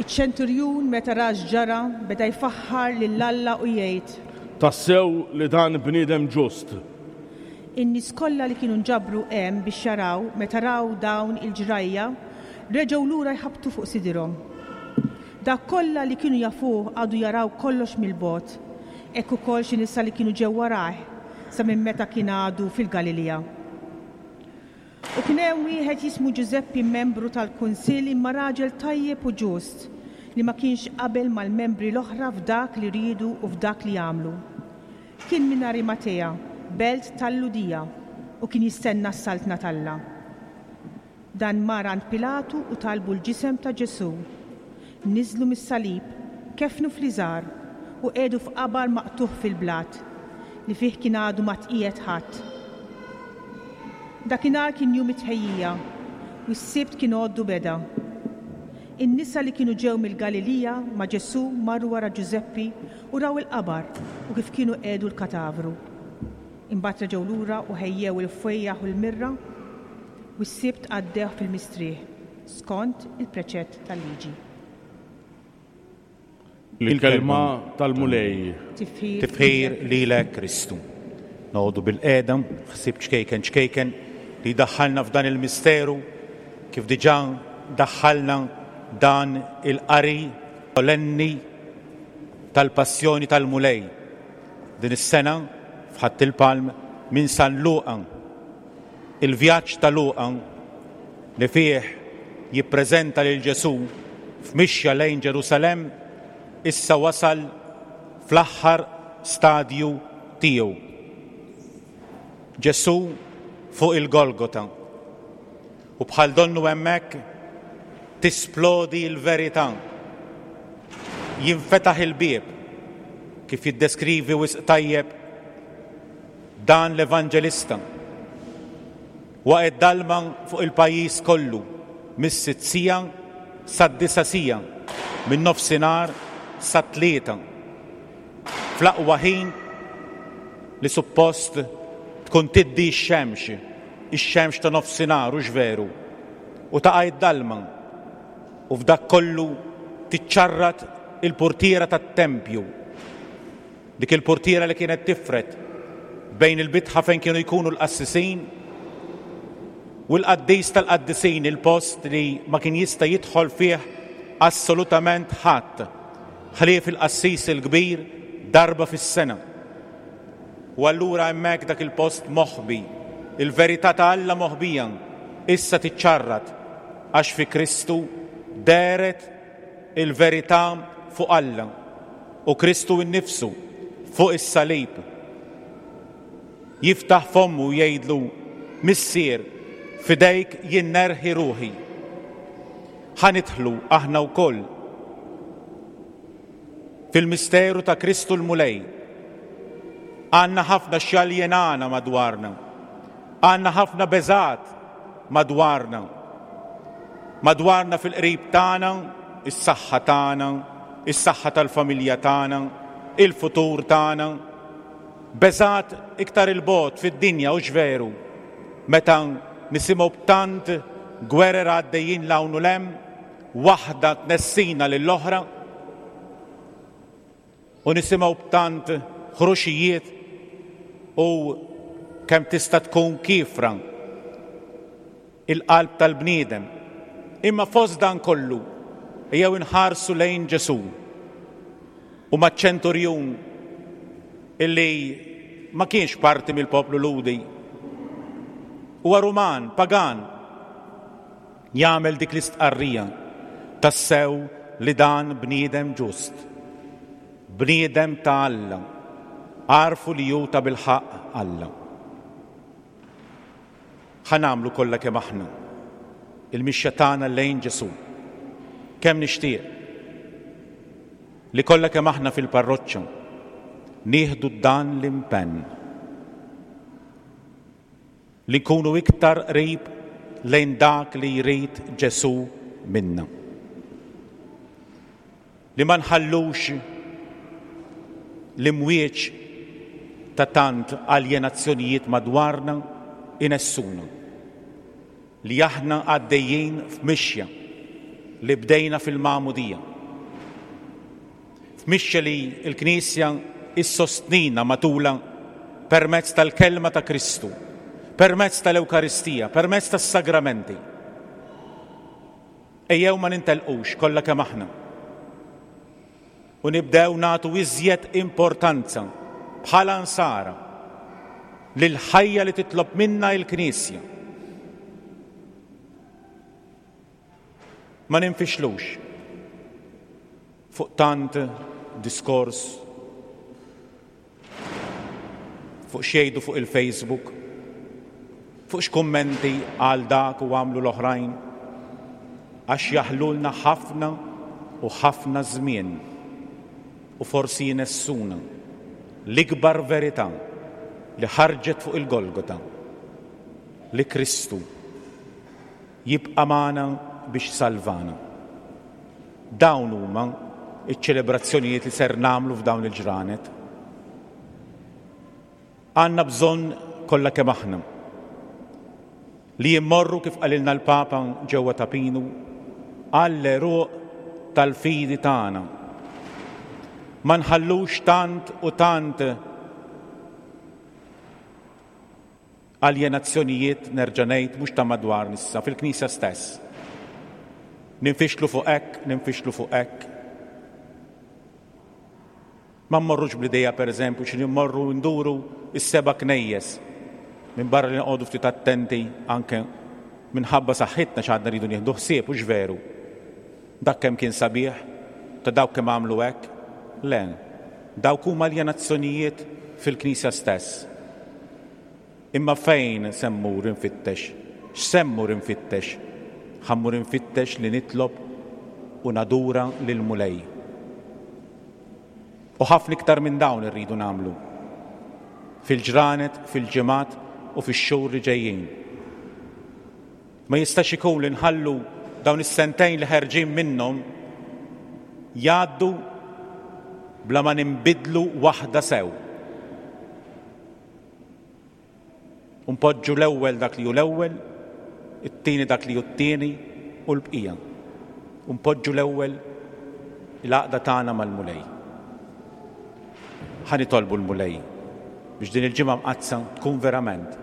Iċ-ċenturjun meta ra x'ġara beda jfaħħar lil Alla u jgħid: Tassew li dan bniedem ġust. In-nies kollha li kienu nġabru hemm biex jaraw meta raw dawn il-ġrajja reġgħu lura jħabtu fuq sidirhom. Dak kollha li kienu jafuh għadu jaraw kollox mill-bogħod, hekk ukoll xi nisa li kienu ġew warah sa minn meta kien għadu fil-Galilija. U kien hemm wieħed jismu Ġużeppi, membru tal-Kunsill, imma raġel tajjeb u ġust, li ma kienx qabel mal-membri l-oħra f'dak li riedu u f'dak li għamlu. Kien minn Arimatea, belt tal-Lhudija, u kien jistenna s-saltna t'Alla. Dan mar għand Pilatu u talbu l-ġisem ta' Ġesù. Niżlu mis-salib, kefnu fl-iżar u qiegħdu f'qabar maqtugħ fil-blat, li fih kien għadu ma tqiegħed ħadd. Dakinhar kien jum it-tħejjija u s-Sibt kien għoddu beda. In-nisa li kienu ġew mill-Galilija ma' Ġesù marru wara Ġużeppi u raw il-qabar u kif kienu qiegħdu l-katavru. Imbagħad reġgħu lura u ħejjew il-fwejjaħ u l-mirra u s-Sibt għaddew fil-mistrieħ skont il-preċett tal-liġi. Il-kelma tal-Mulej. Tifħir lilek Kristu. Noqogħdu bil-qiegħda, ħsieb ċkejken ċkejken li daħħalna f'dan il-misteru, kif diġà daħħalna dan il-qari solenni tal-passjoni tal-Mulej. Din is-sena f'Ħadd il-Palm minn San Luqa, il-vjaġġ ta' Luqa li fih jippreżenta lil Ġesù f'mixja lejn Ġerusalemm, issa wasal fl-aħħar stadju tiegħu. Ġesù fuq il-Golgota. U bħal donnu hemmhekk tisplodi l-verità. Jinfetaħ il-bieb, kif jiddeskrivi wisq tajjeb dan l-Evanġelista. Waqgħet dalma fuq il-pajjiż kollu, mis-sitt siegħa sad-disa' siegħa, minn nofsinhar sat-tlieta. Fl-aqwa ħin li suppost tkun tiddi x-xemx, ix-xemx ta' nofsinhar, hux veru, u taqa' id-dalma, u f'dak kollu tiċċarrat il-portiera tat-tempju, dik il-portiera li kienet tifret bejn il-bitħa fejn kienu jkunu l-qassisin u l-qaddis tal-qaddisin, il-post li ma kien jista' jidħol fih assolutament ħadd ħlief il-qassis il-kbir darba fis-sena. U allura hemmhekk dak il-post moħbi, il-verità ta' Alla moħbija, issa tiċċarrat għax fi Kristu dehret il-verità fuq Alla u Kristu innifsu fuq is-salib. Jiftaħ fommu u jgħidlu: Missier, f'idejk jien nerħi ruħi. Ħa nidħlu aħna wkoll fil-misteru ta' Kristu l-Mulej. Għandna ħafna xjaljenana madwarna, għandna ħafna beżat madwarna, madwarna fil-qrib tagħna, is-saħħa tagħna, is-saħħa tal-familja tagħna, il-futur tagħna. Beżat iktar il-bogħod fid-dinja, hux veru, meta nisimgħu b'tant gwerer għaddejjin 'l hawn u 'l hemm, waħda tnessina lill-oħra, u nisimgħu b'tant ħruxijiet u kemm tista' tkun kiefra il-qalb tal-bniedem. Imma fost dan kollu ejjew inħarsu lejn Ġesù u maċ-ċenturjun illi ma kienx parti mill-poplu Lhudi. Huwa Ruman, pagan. Jagħmel dik l-istqarrija tassew li dan bniedem ġust, bniedem ta' Alla, għarfu li hu ta' bilħaqq Alla. Ħa nagħmlu kollha kemm aħna il-mixja tagħna lejn Ġesù. Kemm nixtieq li kollha kemm aħna fil-parroċċa nieħdu dan l-impenn li nkunu iktar qrib lejn dak li jrid Ġesù minna. Li ma nħallux l-imwieġ ta' tant aljenazzjonijiet madwarna inessuna. Li aħna għaddejjin f'mixja li bdejna fil-magħmudija. F'mixja li l-Knisja issostnina matula permezz tal-kelma ta' Kristu, permezz tal-Ewkaristija, permezz tas-sagramenti. Ejjew ma nintelqux kollha kemm aħna. U nibdew nagħtu iżjed importanza bħala nsara lil ħajja li titlob minna l-Knisja. Ma ninfixlux fuq tant diskors, fuq xejdu fuq il-Facebook, fuq x'kummenti għal dak u għamlu l-oħrajn, għax jaħlulna ħafna u ħafna żmien u forsi jinessuna l-ikbar verità li ħarġet fuq il-Golgota, li Kristu jibqa' magħna biex salvana. Dawn huma iċ-ċelebrazzjonijiet li ser nagħmlu f'dawn il-ġranet. Għandna bżonn kollha kemm aħna li jimmorru kif qalilna l-Papa ġewwa Ta' Pinu għall-għeruq tal-fidi tagħna. Ma nħallux tant u tant aljenazzjonijiet, nerġa' ngħid, mhux ta' madwar nissa, fil-Knisja stess. Ninfixlu fuq hekk, ninfixlu fuq hekk. Ma mmorrux bl-idea, per eżempju, xi mmorru nduru s-seba' knejjes, minn barra li noqogħdu ftit attenti anke minħabba saħħitna x'għadna rridu nieħdu ħsieb, hux veru. Dak kemm kien sabiħ, ta' dawk kemm għamlu hekk, le, dawk huma aljenazzjonijiet fil-Knisja stess. Imma fejn se mmur infittex? X'se mmur infittex? Ħa mmur infittex li nitlob u nadura lil Mulej. U ħafna iktar minn dawn irridu nagħmlu. Fil-ġranet, fil-ġimgħat u fix-xhur li ġejjin. Ma jistax ikun li nħallu dawn is-sentejn li ħerġin minnhom jgħaddu bla ma ninbidlu waħda sew. U npoġġu l-ewwel dak li hu l-ewwel, it-tieni dak li hu t-tieni u l-bqija. U npoġġu l-ewwel l-għaqda tagħna mal-Mulej. Ħa nitolbu l-Mulej biex din il-ġimgħa mqaddsa tkun verament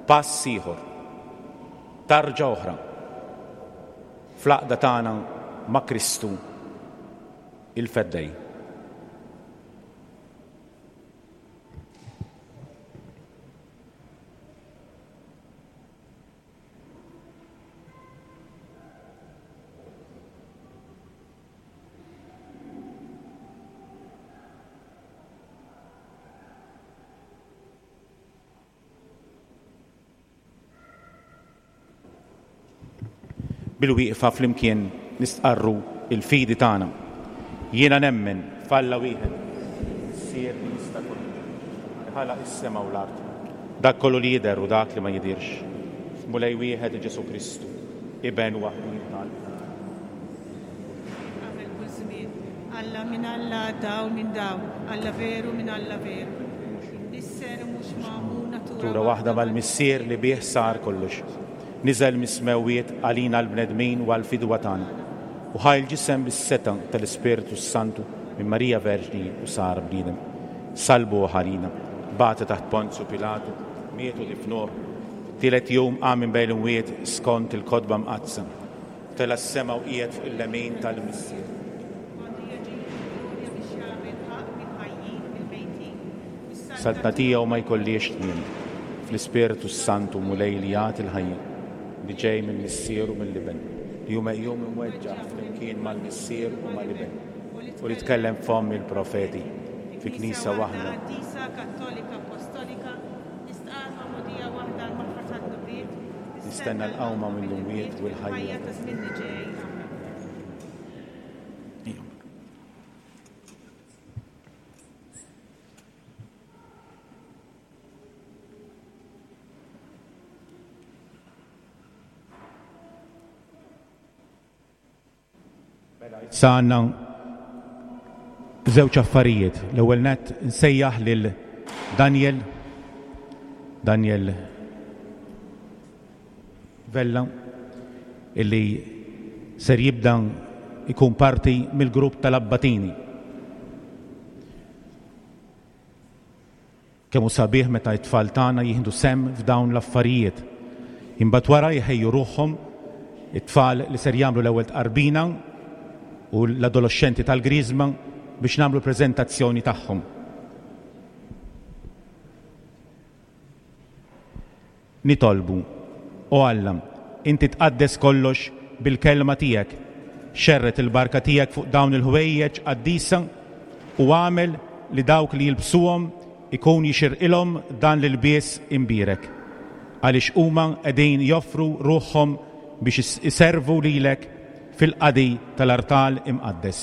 pass ieħor, tarġa oħra fl-għaqda tagħna ma' Kristu il-Feddej. Bil-wieqfa flimkien nistqarru il-fidi tagħna. Jiena nemmen f'Alla wieħed, Missier li jista' kollox, li ħalaq is-sema u l-art, dak kollu li jidher u dak li ma jidhirx. Mulej wieħed Ġesù Kristu, Iben waħdin tal. Qabel kull żmien, Alla minn Alla, dawl minn dawl, Alla veru minn Alla veru. Nisser mhux magħmul natura Natura waħda mal-Missier li bih sar kollox. Niżel mis-smewwiet għalina l-bnedmin u għall-fidwa tagħna. U ħa l-ġisem bis-seta tal-Ispirtu Santu minn Marija Verġni u sar bniedem. Salbu ħalina, bata taħt Ponzju Pilatu, mietu difnuh. Tielet jum qam minn bejn l-imwiet skont il-kotba mqaddsa. Tela' s-sema u qiegħed fuq il-lemin tal-Missier. Saltna tiegħu ma jkollix tmiem. Fl-Ispirtu s-Santu Mulej li jagħti l-ħajja, li ġej mill-Missier u mill-Iben, li hu meqjum imweġġaħ flimkien mal-Missier u mal-Iben, u li tkellem fomm il-profeti fi Knisja waħda. Qaddisa, Kattolika, Apostolika, nistqarr magħmudija waħda għall-maħfra tad-dnubiet, Nistenna l-qawma mill-imwiet u l-ħajja ta' żmien li ġej. Amen. Issa għandna żewġ affarijiet. L-ewwel nett nsejjaħ lil Daniel, Daniel Vella, illi ser jibda ikun parti mill-grupp tal-Abbatini. Kemm hu sabiħ meta t-tfal tagħna jieħdu sehem f'dawn l-affarijiet. Imbagħad wara jħejju ruħhom it-tfal li ser jagħmlu l-ewwel tqarbina u l-adolescenti tal-Griżma biex nagħmlu preżentazzjoni tagħhom. Nitolbu, o Alla, inti tqaddes kollox bil-kelma tiegħek, xerret il-barka tiegħek fuq dawn il-ħwejjeġ qaddisa u għamel li dawk li jilbsuhom ikun jixirqilhom dan l-ilbies imbierek, għaliex huma qegħdin joffru ruħhom biex iservu lilek fil-qadi tal-artal imqaddes.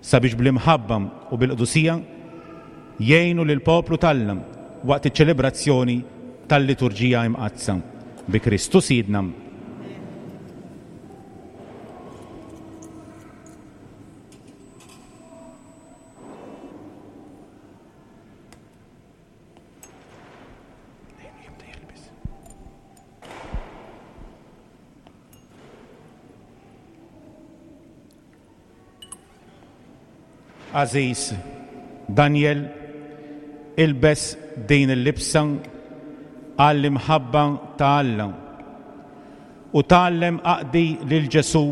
Sabiex bl-imħabba u bil-qdusija jgħinu lill-poplu t'Alla waqt iċ-ċelebrazzjoni tal-liturġija imqaddsa. Bi Kristu Sidna. Aziz Daniel, ilbes din il-libsa għall-imħabba ta' Alla u tgħallem aqdi lil Ġesù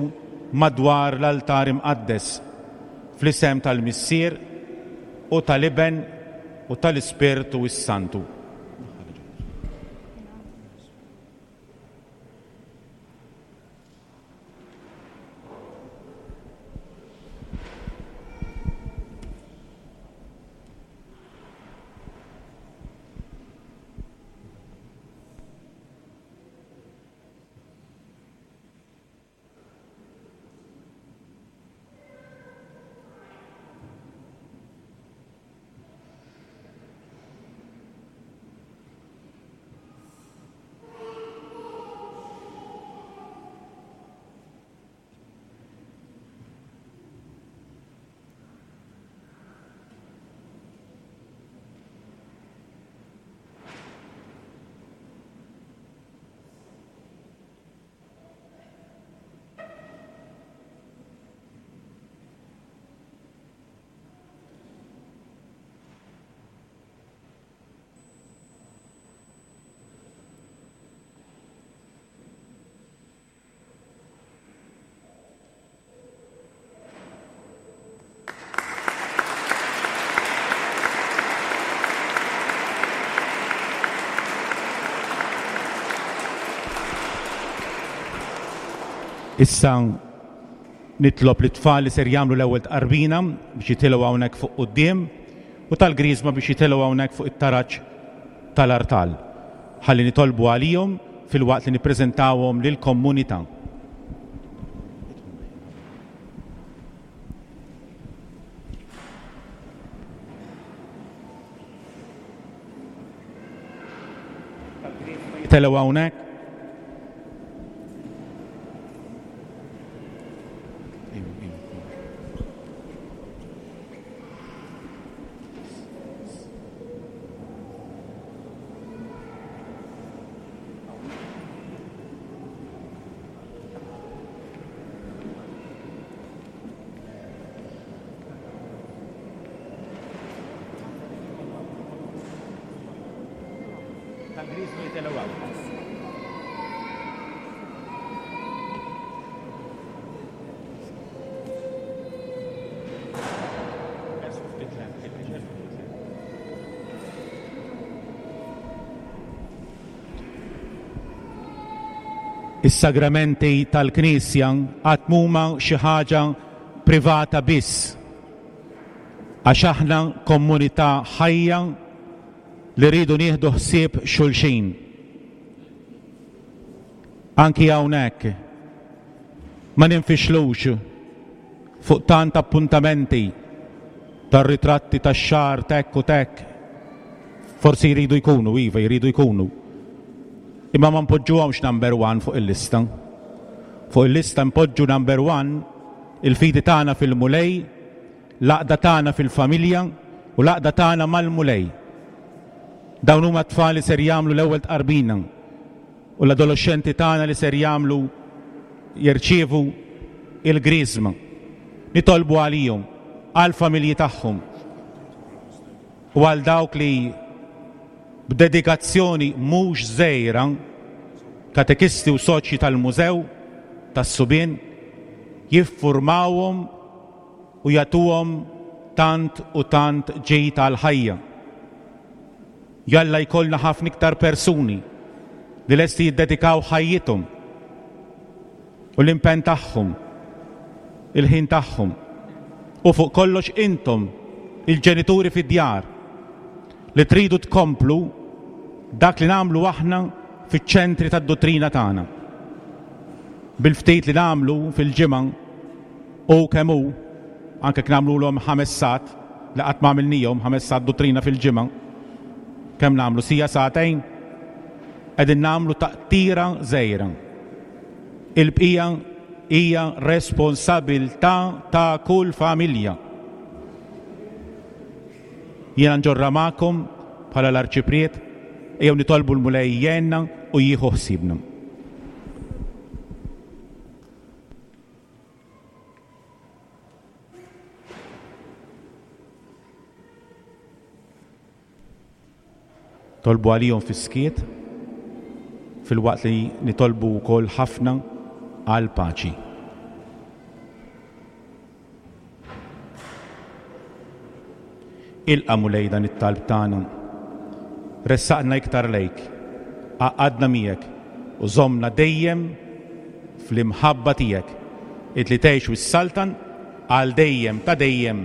madwar l-altar imqaddes fl-isem tal-Missier u tal-Iben u tal-Ispirtu s-Santu. Issa nitlob lit-tfal li ser jagħmlu l-ewwel tqarbina biex jitilgħu hawnhekk fuq quddiem u tal-Griżma biex jitilgħu hawnhekk fuq it-taraġ tal-artal. Ħalli nitolbu għalihom filwaqt li nippreżentawhom lill-komunità. Jitilgħu hawnhekk. Is-sagramenti tal-Knisja qatt m'huma xi ħaġa privata biss, għax aħna komunità ħajja li rridu nieħdu ħsieb xulxin. Anki hawnhekk ma ninfixlux fuq tant appuntamenti tar-ritratti tax-xahar tek u tek. Forsi jridu jkunu, iva, jridu jkunu. Imma ma npoġġuhomx number one fuq il-lista. Fuq il-lista npoġġu number one il-fidi tagħna fil-Mulej, l-għaqda tagħna fil-familja u l-għaqda tagħna mal-Mulej. Dawn huma t-tfal li ser jagħmlu l-ewwel tqarbina u l-adolescenti tagħna li ser jagħmlu jirċievu il-griżma. Nitolbu għalihom, għall-familji tagħhom u għal dawk li b'dedikazzjoni mhux żgħira, katekisti u soċji tal-mużew tas-subien, jiffurmawhom u jagħtuhom tant u tant ġid għall-ħajja. Jalla jkollna ħafna iktar persuni li lesti jiddedikaw ħajjithom u l-impenn tagħhom, il-ħin tagħhom, u fuq kollox intom, il-ġenituri fid-djar, li tridu tkomplu dak li nagħmlu aħna fiċ-ċentri tad-dottrina tagħna. Bil-ftit li nagħmlu fil-ġimgħa u kemm hu, anke jekk nagħmluhom ħames sat li qatt ma għamilnihom ħames sat dottrina fil-ġimgħa, kemm nagħmlu sija sagħtejn, qegħdin nagħmlu taqtira żgħira. Il-bqija hija responsabilità ta' kull familja. Jiena nġorra magħkom bħala l-arċipriet, ejjew nitolbu l-Mulej jgħinna u jieħu ħsiebna. Tolbu għalihom fis-skiet, filwaqt li nitolbu wkoll ħafna għal paċi. Ilqa' Mulej dan it-talb tagħna. Ressaqna iktar lejk, għaqqadna miegħek u żommna dejjem fl-imħabba tiegħek, int li tgħix u s-saltan għal dejjem ta' dejjem.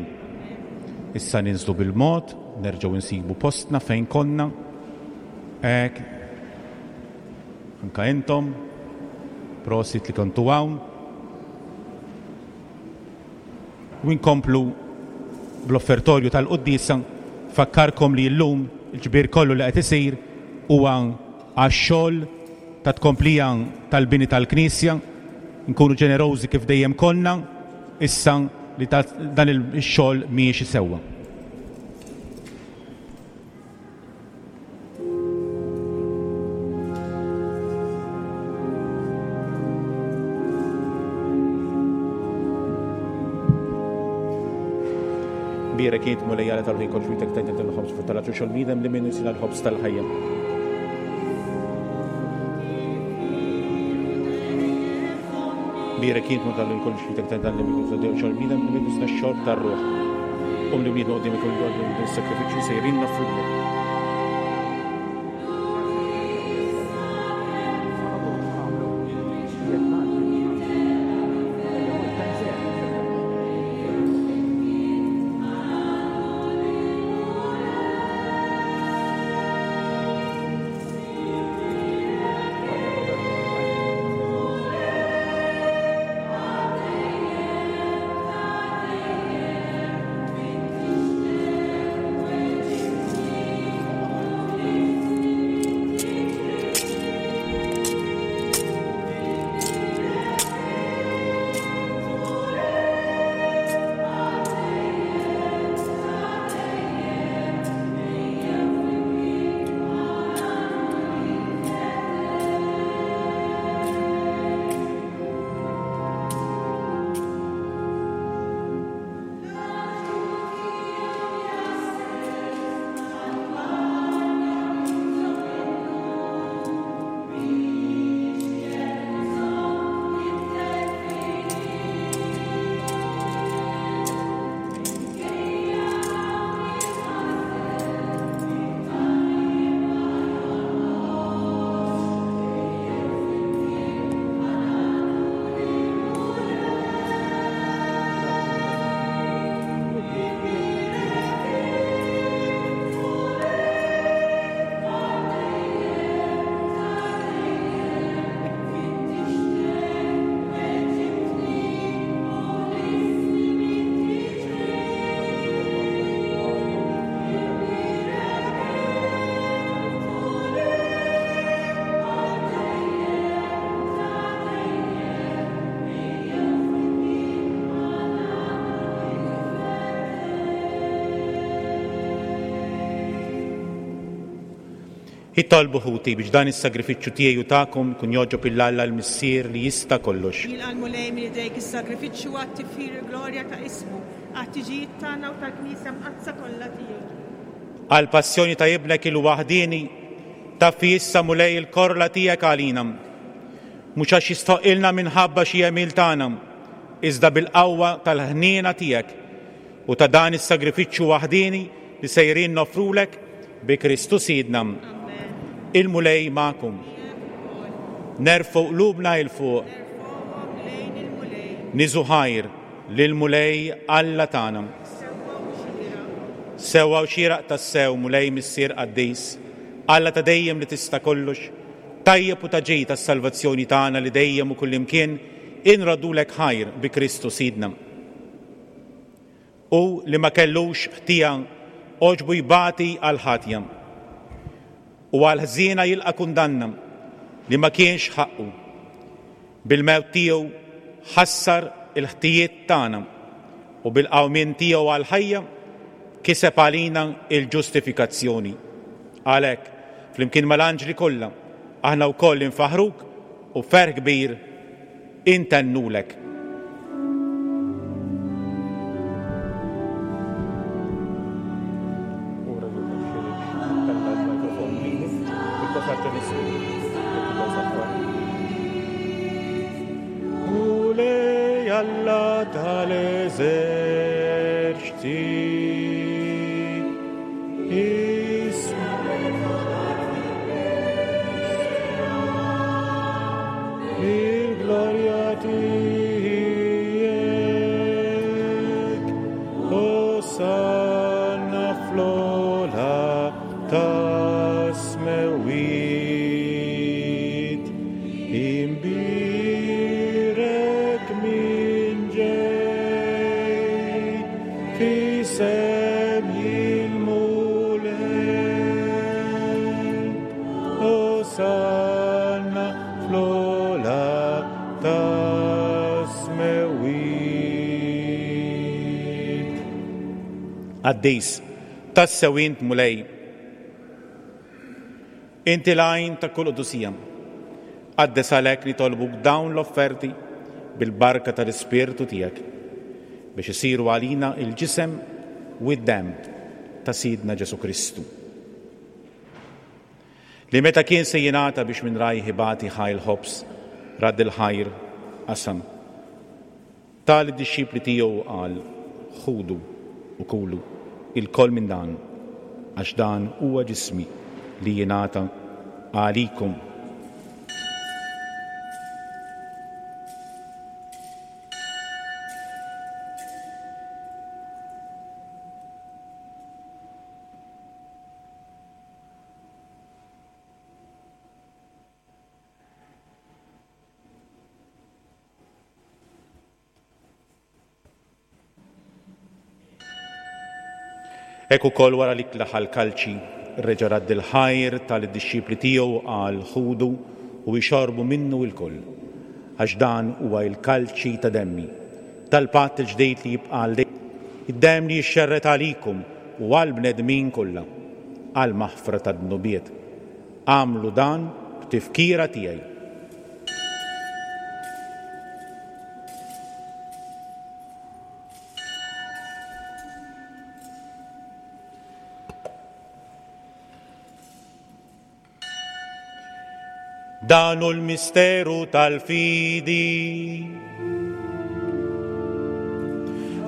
Issa ninżlu bil-mod, nerġgħu nsibu postna fejn konna. Hekk. Anka intom, prosit li kontu hawn. U nkomplu bl-offertorju tal-quddiesa. Fakkarkom li llum il-ġbir kollu li qed isir huwa għax-xogħol ta' tkomplija tal-bini tal-Knisja. Nkunu ġenerożi kif dejjem konna, issa li dan il-xogħol miexi sewwa. Bierek int Mulej Alla tal-ħin kollu xwitek tajt il-ħobż fuq tal-ħaġu xogħol bniedem li minnu jsir l-ħobż tal-ħajja. Bierek int Mulej tal-ħin kollu xwitek tajt il-ħobż xogħol bniedem li minnu jsir x-xorb tar-ruħ. Um li bniedem qudiem ikun għoddu s-sakrifiċċju sejrin nafrulek. Itolbu ħuti biex dan is-sagrifiċċju tiegħi u tagħkom ikun jogħġob lil Alla l-Missier li jista' kollox. Jilqa' l-Mulej minn idejk is-sagrifiċċju għat-tifħir il-glorja ta' ismu, għat-tiġijiet tagħna u tal-Knisja mqaddsa kollha tiegħu. Għall-passjoni ta' ibnek il-waħdieni, taffi issa Mulej il-korla tiegħek għalina. Mhux għax jistħoqilna minħabba xi għemil tagħna, iżda bil-qawwa tal-ħniena tiegħek u ta' dan is-sagrifiċċju waħdieni li sejrin noffrulek bi Kristu Sidna. Il-Mulej magħkom. Nerfgħu qlubna 'il fuq. Niżu ħajr lill-Mulej Alla tagħna. Sewwa u xieraq tassew, Mulej Missier Qaddis, Alla ta' dejjem li tista' kollox, tajjeb u ta' ġid tas-salvazzjoni tagħna li dejjem u kullimkien inroddulek ħajr bi Kristu Sidna. U li ma kellux ħtija għoġbu jbati għal ħatja u għal ħżiena jilqa' kundanna li ma kienx ħaqqu. Bil-mewt tiegħu ħassar il-ħtijiet tagħna u bil-qawmien tiegħu għal ħajja kiseb għalina il-ġustifikazzjoni. Għalhekk, flimkien mal-anġli kollha, aħna wkoll infaħruk u ferħ kbir intennulek. Mulej Alla tal-eżerċti, il-glorja tiegħek, Osanna fl-ogħla tas-smewwiet, imbierek min ġej f'isem il-Mulej, Osanna fl-ogħla tas-smewwiet. Qaddis, tassew int Mulej, inti l-għajn ta' kull qdusija. Qaddes għalhekk nitolbuk dawn l-offerti bil-barka tal-Ispirtu tiegħek biex isiru għalina il-ġisem u d-demm ta' Sidna Ġesu Kristu. Li meta kien se jingħata biex minn rajh ibati ħa l-ħobż, radd il-ħajr, qasam. Ta lid-dixxipli tiegħu qal, ħudu u kulu ilkoll minn dan, għax dan huwa ġismi li jingħata għalikom. Hekk ukoll wara li klaħa l-kalċi, reġa' radd il-ħajr tal-dixxipli tiegħu qal, ħudu u jxorbu minnu lkoll, għax dan huwa l-kalċi ta' demmi, tal-patt il-ġdid li jibqa' għal dejjem, id-demm li jixxerred għalikum u għall-bnedmin kollha, għall-maħfra tad-dnubiet. Agħmlu dan b'tifkira tiegħi. Dan hu l-misteru tal-fidi.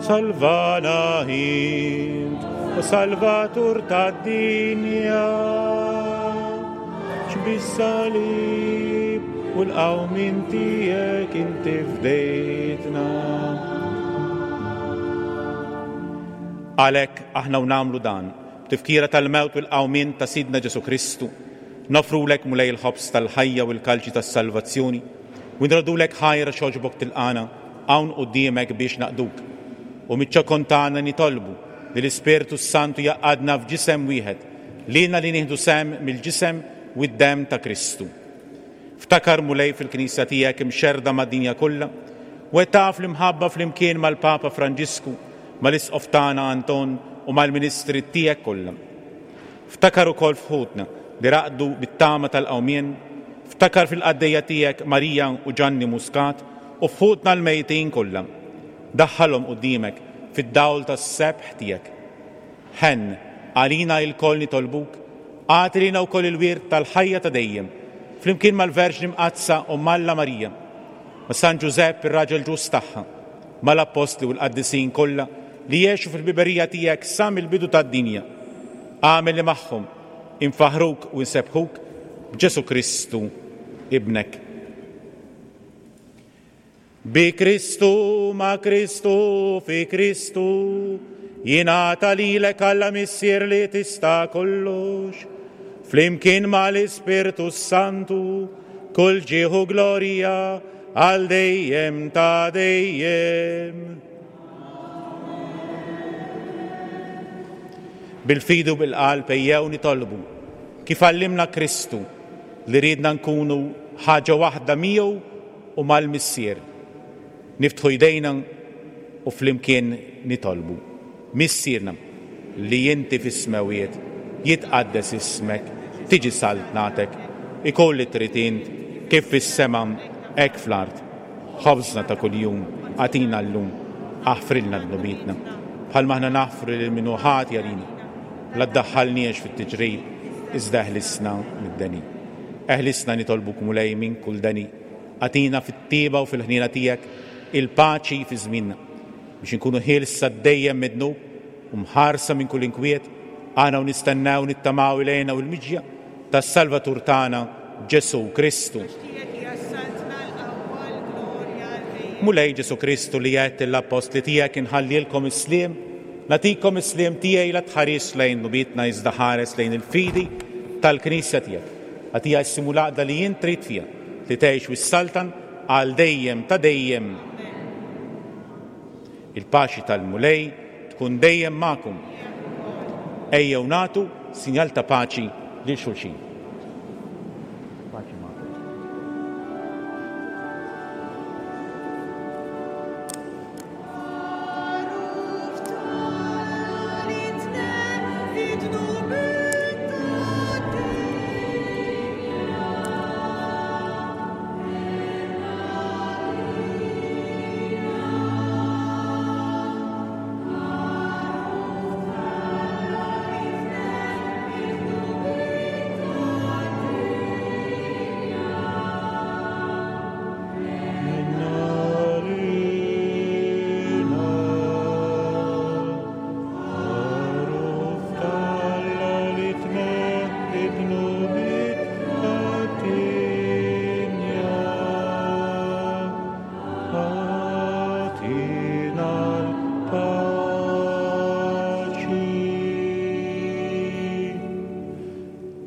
Salvana int, o Salvatur tad-dinja, x'bis-salib u l-qawmien tiegħek inti fdejtna. Għalhekk aħna u nagħmlu dan, b'tifkira tal-mewt u l-qawmien ta' Sidna Ġesu Kristu, nofrulek Mulej il-ħobż tal-ħajja u l-kalċi tas-salvazzjoni, u nrodulek ħajra xogħġbok tilqana hawn quddiemek biex naqduk. U miċ-ċokon tagħna nitolbu li l-Ispirtu s-Santu jaqadna f'ġisem wieħed, lilna li nieħdu sehem mill-ġisem u d-demm ta' Kristu. Ftakar Mulej fil-Knisja tiegħek imxerrda mad-dinja kollha, u qed taf l-imħabba flimkien mal-Papa Franġisku, mal-Isqof tagħna Anton u mal-Ministri tiegħek kollha. Ftakar ukoll f'ħutna li raqdu bit-tama tal-qawmien, ftakar fil-qaddejja tiegħek Marija u Ġanni Muscat u f'ħutna l-mejtin kollha. Daħħalhom quddiemek fid-dawl tas-sebħ tiegħek. Ħenn għalina lkoll nitolbuk, agħti lilna wkoll il-wirt tal-ħajja ta' dejjem, flimkien mal-Verġni Mqaddsa u Alla Marija, ma' San Ġużepp ir-raġel ġust tagħha, mal-Appostli u l-qaddisin kollha li jgħixu fil-biberija tiegħek sa mill-bidu tad-dinja. Agħmel li magħhom infaħruk u nsebbħuk b'Ġesu Kristu ibnek. Bi Kristu, ma' Kristu, fi Kristu, jingħata lilek Alla Missier li tista' kollox, flimkien mal-Ispirtu Santu, kull ġieħ u glorja għal dejjem ta' dejjem. Bil-fidi u bil-qalb ejjew nitolbu kif għallimna Kristu li riedna nkunu ħaġa waħda miegħu u mal-Missier. Niftħu jdejna u flimkien nitolbu. Missierna li inti fis-smewiet, jitqaddes ismek, tiġi saltnatek, ikun li trid int kif fis-sema hekk fl-art. Ħobżna ta' kuljum agħtina llum, aħfrilna dnubietna, bħalma aħna naħfru lil min hu ħati għalina. La ddaħħalniex fit-tiġrib, iżda eħlisna mid-deni. Eħlisna nitolbuk Mulej minn kull deni. Agħtina fit-tjieba u fil-ħniena tiegħek il-paċi fi żmienna biex inkunu ħielsa dejjem mid-dnub u mħarsa minn kull inkwiet, aħna u nistennew nittamaw ilejna u l-miġja tas-Salvatur tagħna Ġesu Kristu. Mulej Ġesu Kristu li għedt lill-appostli tiegħek inħallilkom is-sliem, nagħtikom is-sliem tiegħi la tħares lejn dnubietna iżda ħares lejn il-fidi tal-Knisja tiegħek. Agħtiha s-sliem u l-għaqda li int trid fiha, li tgħix u ssaltan għal dejjem ta' dejjem. Il-paċi tal-Mulej tkun dejjem magħkom. Ejjew nagħtu sinjal ta' paċi lil xulxin. Paċi magħkom.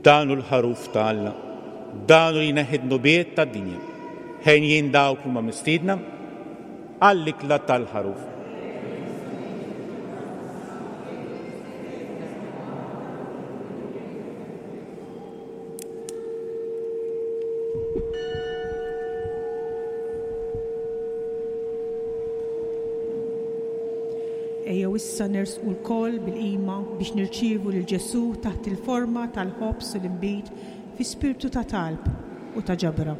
Dan hu l-ħaruf ta' Alla, dan hu li jneħħi d-dnubiet tad-dinja. Ħenjin dawk huma mistiedna għall-ikla tal-ħaruf. Ejjew issa nersqu lkoll bil-qima biex nirċievu lil Ġesù taħt il-forma tal-ħobż u l-inbid fi spirtu ta' talb u ta' ġabra.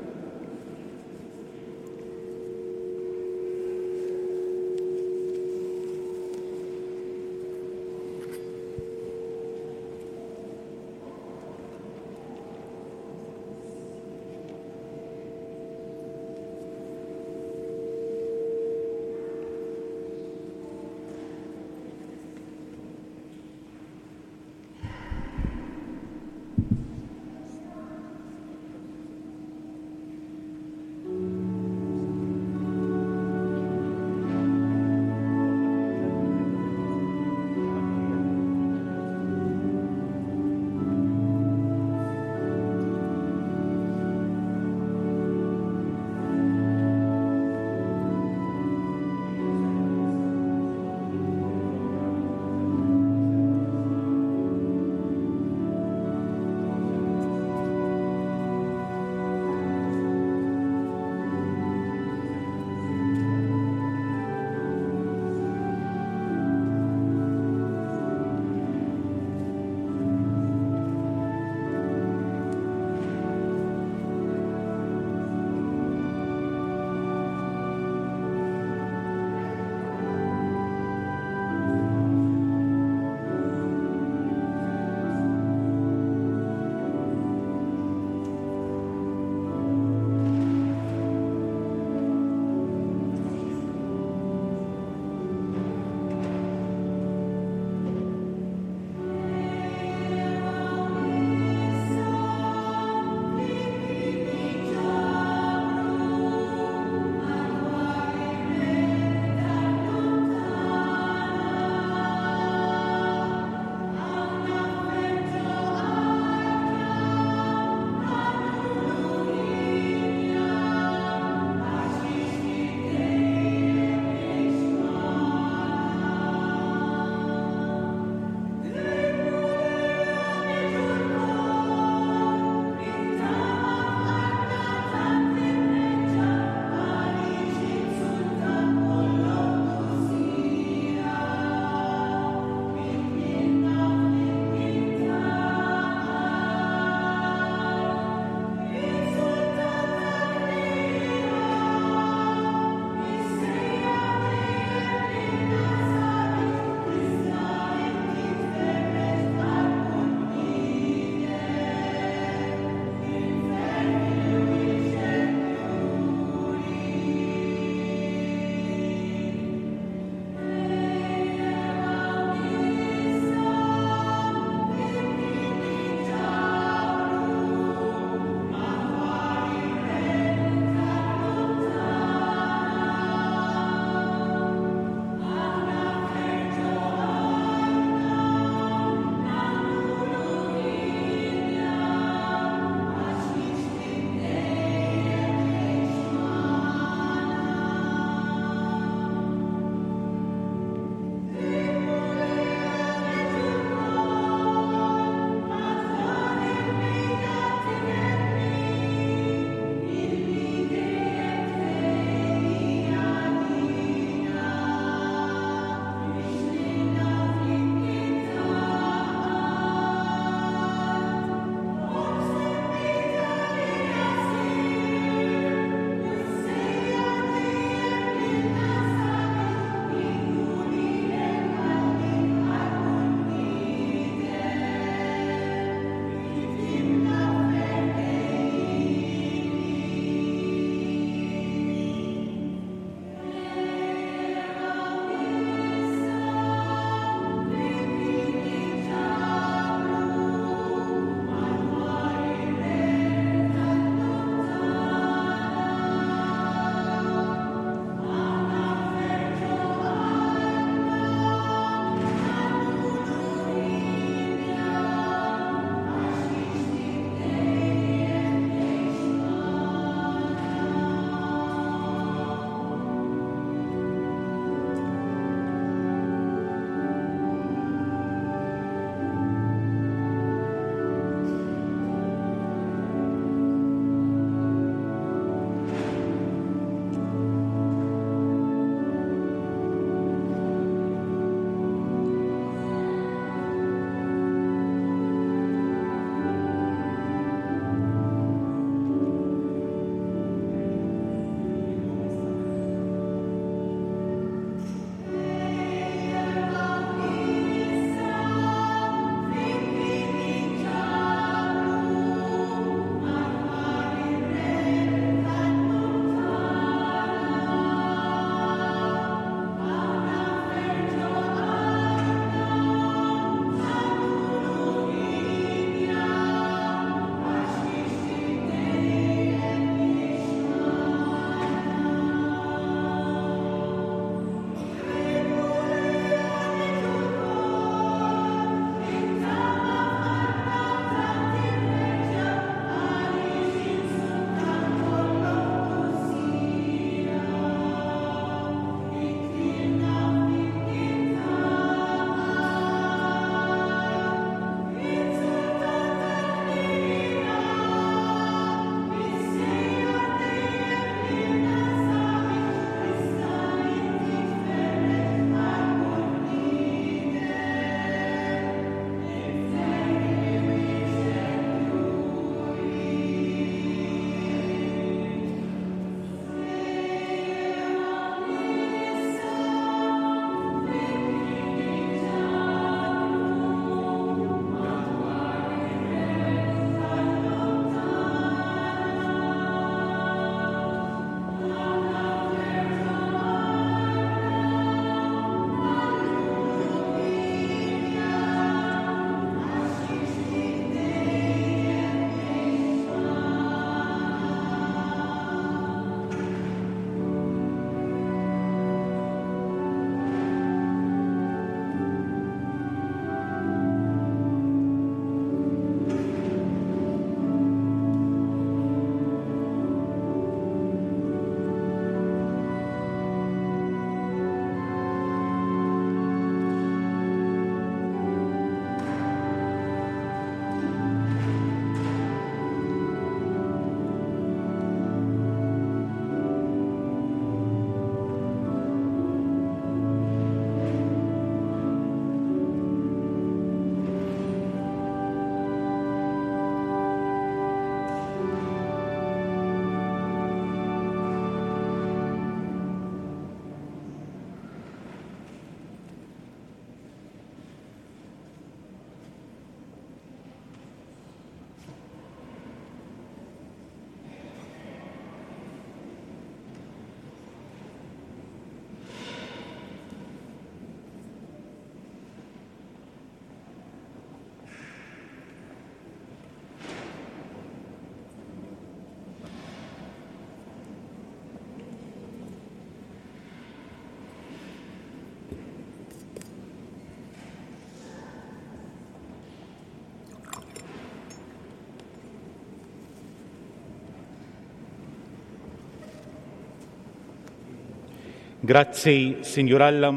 Grazzi, Sinjur Alla.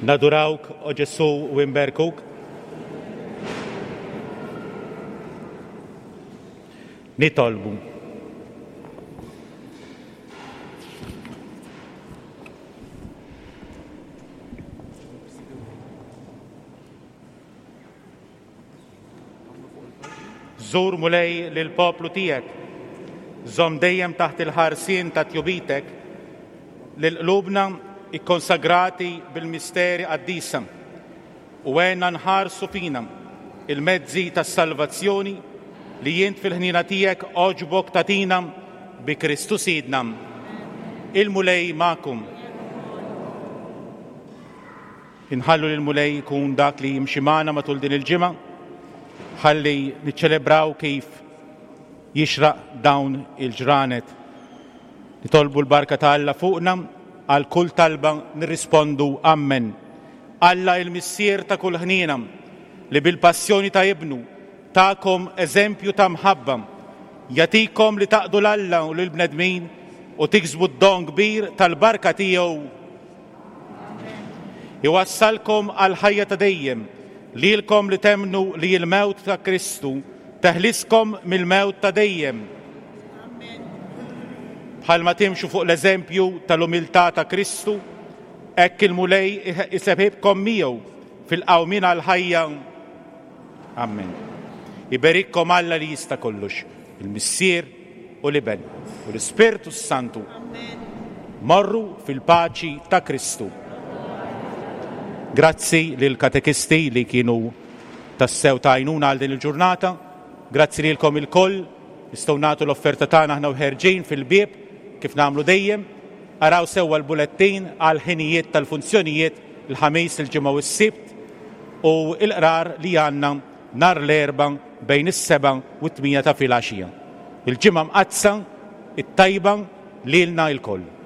Nadurawk, o Ġesù, u nberkuk. Nitolbu. Żur Mulej lill-poplu tiegħek, żomm dejjem taħt il-ħarsien ta' tjubitek lil qlubna ikkonsagrati bil-misteri qaddisa u għenna nħarsu fina il-mezzi tas-salvazzjoni li jint fil-ħniena tiegħek għoġbok tagħtina bi Kristu Sidna. Il-Mulej magħkom. Inħallu lil Mulej jkun dak li jimxi magħna matul din il-ġimgħa, ħalli niċċelebraw kif jixraq dawn il-ġranet. Nitolbu l-barka ta' Alla fuqna, għal kull talba nirrispondu Amen. Alla il-Missier ta' kull ħniena, li bil-passjoni ta' ibnu ta'kom eżempju ta' mħabba, jagħtikom li taqdu l-Alla u lill-bnedmin u tiksbu d-don kbir tal-barka tiegħu. Iwassalkom għal ħajja ta' dejjem, lilkom li temnu li l-mewt ta' Kristu teħliskom mill-mewt ta' dejjem. Bħalma timxu fuq l-eżempju tal-umiltà ta' Kristu, hekk il-Mulej isebħibkom miegħu fil-qawmien għall-ħajja. Amen. Iberikkom Alla li jista' kollox, il-Missier u l-Iben u l-Ispirtu Santu. Morru fil-paċi ta' Kristu. Grazzi lil katekisti li kienu tassew ta' għajnuna għal din il-ġurnata. Grazzi lilkom ilkoll. Nistgħu nagħtu l-offerta tagħna aħna u ħerġin fil-bieb kif nagħmlu dejjem. Araw sewwa l-bulettin għal ħinijiet tal-funzjonijiet il-Ħamis, il-Ġimgħa u s-Sibt u l-qrar li għandna nhar l-Erbgħa bejn is-sebgħa u t-tmienja ta' filgħaxija. Il-Ġimgħa mqaddsa, it-tajba lilna lkoll.